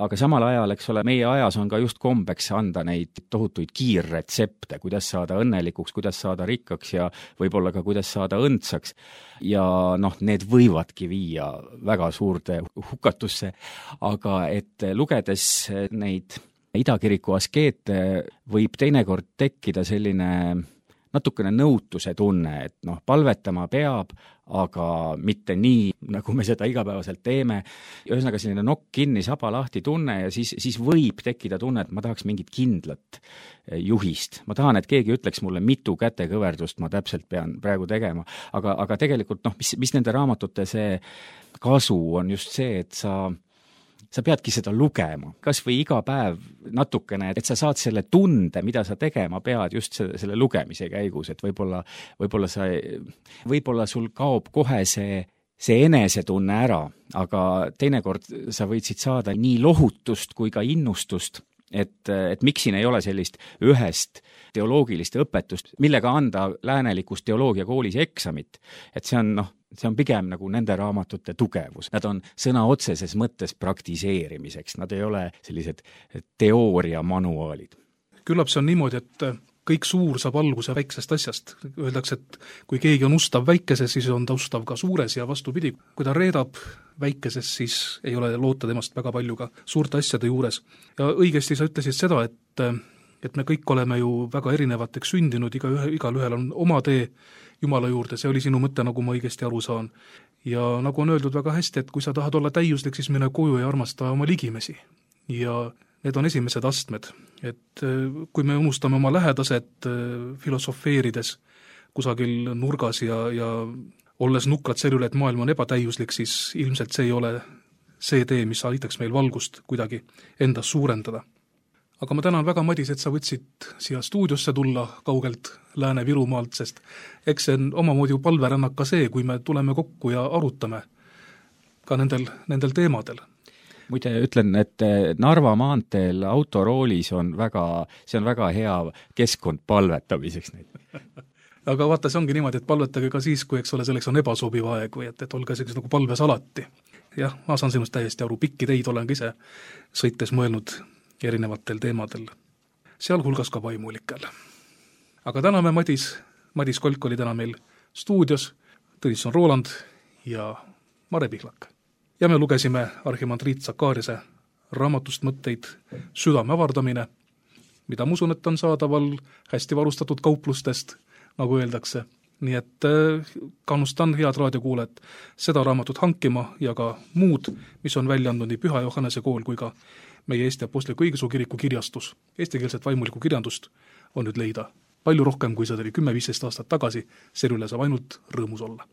Aga samal ajal, eks ole, meie ajas on ka just kombeks anda neid tohutuid kiirretsepte, kuidas saada õnnelikuks, kuidas saada rikkaks ja võib-olla ka kuidas saada õndsaks. Ja need võivadki viia väga suurde hukatusse, aga et lugedes neid idakiriku askeete võib teinekord tekkida selline natukene nõutuse tunne, et palvetama peab, aga mitte nii, nagu me seda igapäevaselt teeme. Ühesõnaga selline nokk kinni, saba lahti tunne ja siis võib tekkida tunne, et ma tahaks mingit kindlat juhist. Ma tahan, et keegi ütleks mulle, mitu kätekõverdust ma täpselt pean praegu tegema. Aga tegelikult, mis nende raamatute see kasu on just see, et sa peadki seda lugema, kas või iga päev natukene, et sa saad selle tunde, mida sa tegema pead just selle lugemise käigus, et võib-olla sul kaob kohe see enesetunne ära, aga teinekord sa võid siit saada nii lohutust kui ka innustust, et miks siin ei ole sellist ühest teoloogilist õpetust, millega anda läänelikus teoloogiakoolis eksamit, et see on pigem nagu nende raamatute tugevus. Nad on sõna otseses mõttes praktiseerimiseks, nad ei ole sellised teooriamanuaalid. Küllap see on niimoodi, et kõik suur saab alguse väiksest asjast. Öeldakse, et kui keegi on ustav väikeses, siis on ta ustav ka suures ja vastupidi. Kui ta reedab väikeses, siis ei ole loota temast väga palju ka suurte asjade juures. Ja õigesti sa ütlesid seda, et et me kõik oleme ju väga erinevateks sündinud, igalühel on oma tee Jumala juurde, see oli sinu mõte, nagu ma õigesti aru saan. Ja nagu on öeldud väga hästi, et kui sa tahad olla täiuslik, siis mine koju ja armasta oma ligimesi. Ja need on esimesed astmed, et kui me unustame oma lähedased filosofeerides kusagil nurgas ja olles nukrad selle üle, et maailm on ebatäiuslik, siis ilmselt see ei ole see tee, mis aitaks meil valgust kuidagi endas suurendada. Aga ma tänan väga, Madis, et sa võtsid siia stuudiosse tulla kaugelt Lääne-Virumaalt, sest eks see on omamoodi ju palverännak ka see, kui me tuleme kokku ja arutame ka nendel teemadel. Muide ütlen, et Narva maanteel autoroolis on väga hea keskkond palvetamiseks neid. Aga vaata, see ongi niimoodi, et palvetage ka siis, kui eks ole, selleks on ebasobiv aeg või et olge selleks nagu palves alati. Jah, ma saan sinust täiesti aru, pikki teid olen ka ise sõites mõelnud erinevatel teemadel, sealhulgas ka vaimulikel. Aga täname Madis Kolk oli täna meil stuudios, Tõnisson Roland ja Mare Pihlak. Ja me lugesime arhimandriit Sakariase raamatust mõtteid Südame avardamine, mida ma usun, et on saadaval hästi varustatud kauplustest, nagu öeldakse. Nii et kannustan head raadiokuulajat seda raamatut hankima ja ka muud, mis on välja andnud nii Püha Johannese kool kui ka meie Eesti Apostliku Õigeusu Kiriku kirjastus. Eestikeelset vaimulikku kirjandust on nüüd leida palju rohkem, kui seda oli 10-15 aastat tagasi, selle üle saab ainult rõõmus olla.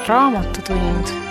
Raamatutund.